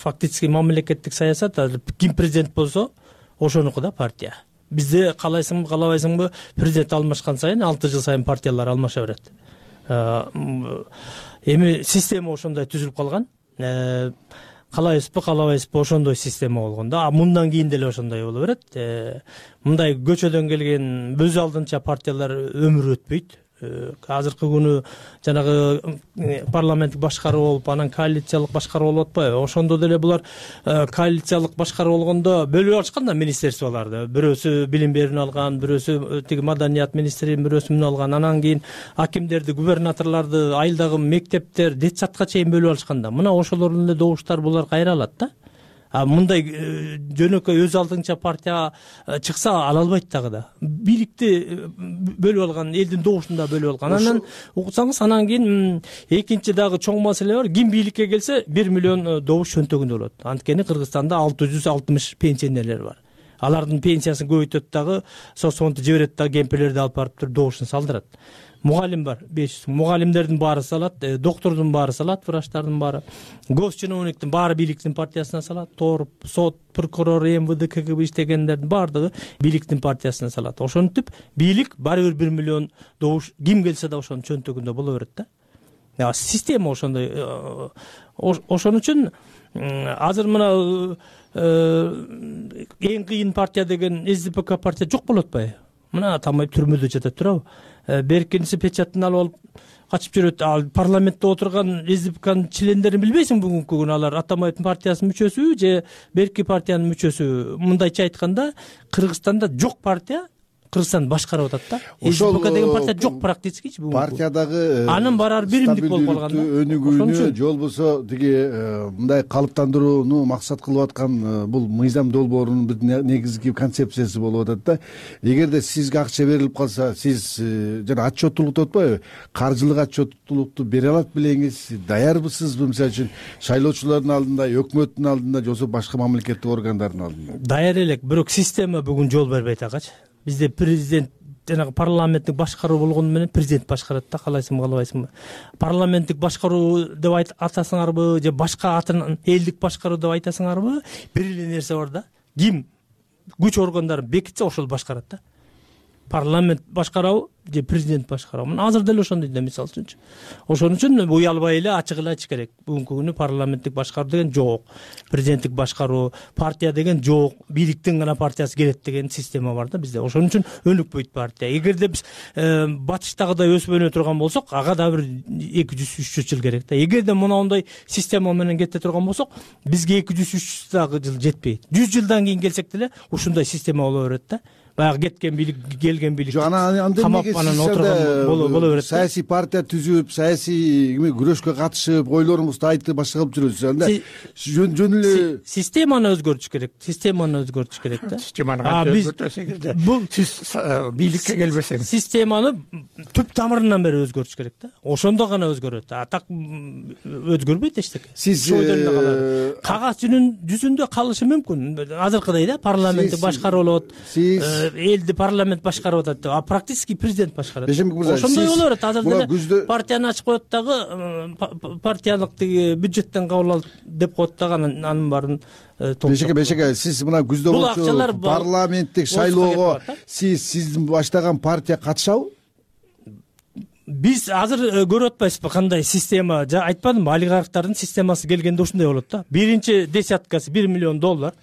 Фактически мамлекеттик саясат ким президент болсо ошонуку да партия. Бизде каалайсыңбы, каалабайсыңбы, президент алмашкан сайын 6 жыл сайын партиялар алмаша берет. Эми система ошондой түзүлүп калган. Каалайбызбы, каалабайбызбы, ошондой система болгон да. Мындан кийин деле ошондой боло берет. Мындай көчөдөн келген өз алдынча партиялар өмүр өтпөйт. Азыркы күнү жанагы парламенттик башкаруу болуп, анан коалициялык башкаруу болуп атпайбы? Ошондо деле булар коалициялык башкаруу болгондо бөлүп алышкан да министерстволорду. Бирөөсү билим берүүнү алган, бирөөсү тиги маданият министрин, бирөөсү алган. Анан кийин акимдерди, губернаторлорду, айылдагы мектептер, детсадка чейин бөлүп алышкан да. Мына ошолордун эле добуштар булар кайра алат да. Мындай жөнөкөй өз алдынча партия чыкса ала албайт дагы да. Бийликти бөлүп алган, элдин добушун да бөлүп алган. Анан уксаңыз, анан кийин экинчи дагы чоң маселе бар. Ким бийликке келсе 1 миллион добуш чөнтөгүндө болот. Анткени Кыргызстанда 660 пенсионерлер бар. Алардын пенсиясын көбөйтөт дагы, соцфондду жиберет дагы, кемпирлерди алып барып туруп добушун салдырат. Мугалим бар 500. Мугалимдердин баары салат, доктордун баары салат, врачтардын баары. Госчиновниктин баары бийликтин партиясына салат, торп, сот, прокурор, МВД, КГБ иштегендердин баардыгы бийликтин партиясына салат. Ошентип бийлик баары бир 1 миллион добуш ким келсе да ошонун чөнтөгүндө боло берет да. Система ошондой. Ошон үчүн азыр мына эң кыйын партия деген СДПК партия жок болуп атпайбы? Мына тамайып түрмөдө жатат турабы? Беркиниси печатын алып качып жүрөт. Ал парламентте отурган СДПКнын чилендерин билбейсиң бүгүнкү күнү? Алар Атамбаевдин партиясынын мүчөсү же Берки партиянын мүчөсү? Мындайча айтканда, Кыргызстанда жок партия Кыргызстанды башкарып атат да. СДПК деген партия жок практически партиядагы анын барар биримдик болуп калган да. Өнүгүүнү же болбосо тиги мындай калыптандырууну максат кылып аткан бул мыйзам долбоорунун бир негизги концепциясы болуп атат да. Эгерде сизге акча берилип калса, сиз жана отчеттуулук деп атпайбы, каржылык отчеттуулукту бере алат белеңиз, даярбысызбы? Мисалы үчүн шайлоочулардын алдында, өкмөттүн алдында же болбосо башка мамлекеттик органдардын алдында? Даяр элек, бирок система бүгүн жол бербейт агачы. Бизде президент жанагы парламенттик башкаруу болгону менен президент башкарат да, каалайсыңбы каалабайсыңбы. Парламенттик башкаруу деп атасыңарбы же башка атын элдик башкаруу деп айтасыңарбы, бир эле нерсе бар да. Ким күч органдарын бекитсе ошол башкарат да. Парламент башкарабы же президент башкарабы? Мына азыр деле ошондой да, мисалы үчүнчү. Ошон үчүн уялбай эле ачык эле айтыш керек. Бүгүнкү күнү парламенттик башкаруу деген жок, президенттик башкаруу, партия деген жок, бийликтин гана партиясы келет деген система бар да бизде. Ошон үчүн өнүкпөйт партия. Эгерде биз батыштагыдай өсүп өнө турган болсок, ага да бир 200-300 жыл керек да. Эгерде мындай система менен кете турган болсок, бизге 200-300 дагы жыл жетпейт. 100 жылдан кийин келсек деле ушундай система боло берет да. Баягы кеткен бийлик, келген бийлик камап анан отурган боло берет. Саясий партия түзүп, саясий күрөшкө катышып, ойлоруңузду айтып башка кылып жүрөсүз. Анда жөн эле системаны өзгөртүш керек. Системаны өзгөртүш керек да. Системаны өзгөртөсөң эле. Бул сиз бийликке келбесеңиз. Системаны түп тамырынан бери өзгөртүш керек да. Ошондо гана өзгөрөт. А так өзгөрбөйт эчтеке. Сиз кагаз жүзүндө калышы мүмкүн. Азыркыдай да, парламентти башкарып алат. Элди парламент башкарып атат, а практически президент башкарат. Ошондой боло берет. Азыр деле партияны ачып коет дагы, партиялык тиги бюджеттен кабыл алып деп коет дагы, анын баарын Бешеке, сиз мына күздө болчу парламенттик шайлоого сиздин баштаган партия катышабы? Биз азыр көрүп атпайсызбы кандай система? Айтпадымбы, олигархтардын системасы келгенде ушундай болот да. Биринчи десяткасы $1 миллион,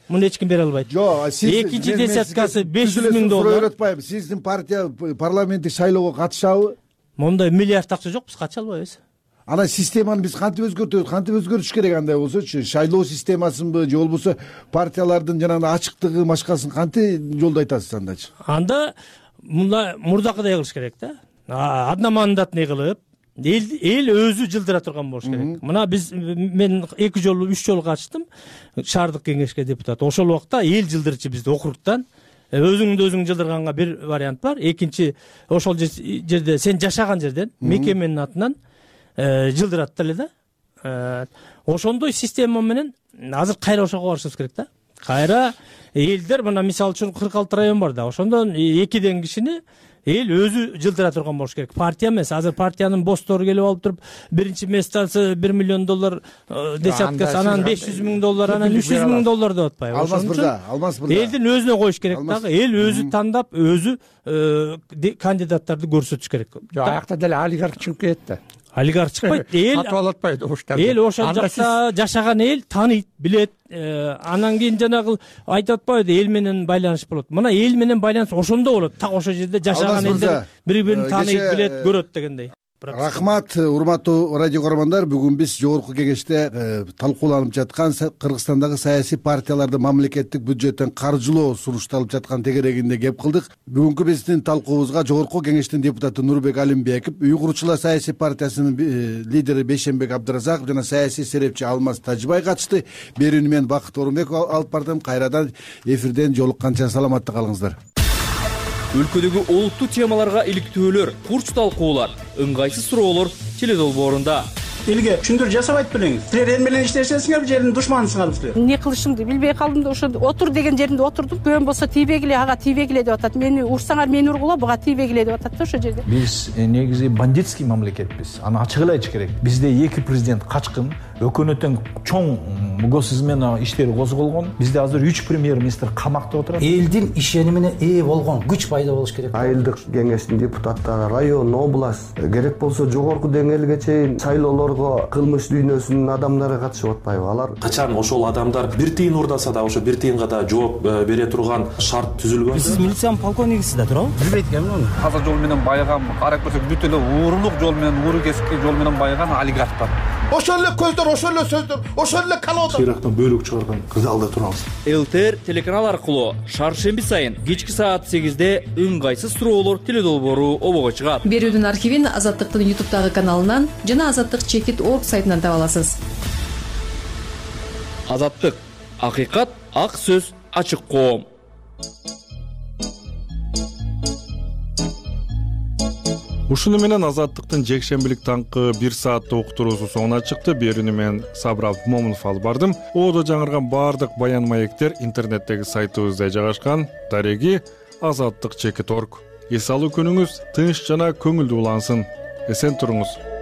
муну эч ким бере албайт. Экинчи десяткасы $500 000. Сиздин партия парламенттик шайлоого катышабы? Мондай миллиард акча жок, биз катыша албайбыз. Ана системаны биз кантип өзгөртөбүз? Кантип өзгөртүш керек андай болсочу? Шайлоо системасынбы же болбосо партиялардын жанагы ачыктыгы башкасын кантип жолдо айтасыз андачы? Анда мурдакыдай кылыш керек да. Одномандатный кылып, эл өзү жылдыра турган болуш керек. Мына мен 2 жолу 3 жолу катыштым шаардык кеңешке депутат. Ошол убакта эл жылдырчу бизди округтан. Өзүңдү өзүң жылдырганга бир вариант бар. Экинчи, ошол жерде сен жашаган жерден мекеменин атынан жылдырат деле да. Ошондой система менен азыр кайра ошого барышыбыз керек да. Кайра элдер, мына мисалы үчүн 46 район бар да. Ошондон 2ден кишини эл өзү жылдыра турган болуш керек. Партия эмес. Азыр партиянын босстору келип алып туруп, биринчи месяцасы $1 миллион десяткасы, анан $500 000, анан $300 000 деп атпайбы. Алмаз мырза. Элдин өзүнө коюш керек дагы. Эл өзү тандап, өзү кандидаттарды көрсөтүш керек. Аякта деле олигарх чыгып кетет да. Олигарх чыкпайт. Эл сатып алат атпайбы оштарды. Эл ошол жакта жашаган эл тааныйт, билет. Анан кийин жанагы айтып атпайбы, эл менен байланыш болот. Мына эл менен байланыш ошондо болот. Так ошол жерде жашаган элдер бири-бирин тааныйт, билет, көрөт дегендей. Рахмат, урматтуу радио көрөрмандар. Бүгүн биз жогорку кеңеште талкууланып жаткан Кыргызстандагы саясий партияларды мамлекеттик бюджеттен каржылоо сунушталып жаткан тегерегинде кеп кылдык. Бүгүнкү биздин талкуубузга жогорку кеңештин депутаты Нурбек Алимбеков, Үй куруучулар саясий партиясынын лидери Бейшенбек Абдыразаков жана саясий серепчи Алмаз Тажыбай катышты. Берүүнү мен Бакыт Орунбеков алып бардым. Кайрадан эфирден жолукканча саламатта калыңыздар. Өлкөдөгү олуттуу темаларга иликтөөлөр, курч талкуулар, ыңгайсыз суроолор теледолбоорунда. Элге түшүндүрүү жасабайт белеңиз. Силер эл менен иштешесиңер, жердин душманысыңар силер. Эмне кылышымды билбей калдым да, ошо отур деген жеринде отурдум. Көн болсо тийбегиле, ага тийбегиле деп атат. Мени урсаңар, мени ургула, буга тийбегиле деп атат да ошо жерде. Биз негизи бандитский мамлекетпиз. Аны ачык эле айтыш керек. Бизде 2 президент качкын, өкмөттөн чоң госизмена иштери козголгон. Бизде азыр 3 премьер-министр камакта отурат. Элдин ишенимине ээ болгон күч пайда болуш керек. Айылдык кеңештин депутаттары, район, область, керек болсо жогорку деңгээлге чейин шайлоолорго кылмыш дүйнөсүнүн адамдары катышып атпайбы? Алар качан ошол адамдар 1 тыйын урдаса да ошо 1 тыйынга да жооп бере турган шарт түзүлгөн. Сиз милициянын полковнигисиз да туурабы? Билбейт экенмин аны. Таза жол менен байыган, карап көрсөк бүт эле уурлук жол менен, ууру кесипки жол менен байыган олигарх бар. ошол эле көздөр, ошол эле сөздөр, ошол эле колода сыйрактан бөлүк чыгарган залда турабыз. ЛТР телеканал аркылуу шаршемби сайын кечки саат 8-де ыңгайсыз суроолор теледолбоору обого чыгат. Берүүдүн архивин Азаттыктын YouTube'дагы каналынан жана azаттык-org сайтынан таба аласыз. Азаттык, акыйкат, ак сөз, ачык коом. Ушуну менен Азаттыктын жекшембилик таңкы 1 сааттык уктуруусу соңуна чыкты. Берүүнү мен Сабыр Момунов алып бардым. Одо жаңырган баардык баян маектер интернеттеги сайтыбызда жайгашкан. Дареги azаттык.org. Эс алуу күнүңүз тынч жана көңүлдүү улансын. Эсен туруңуз.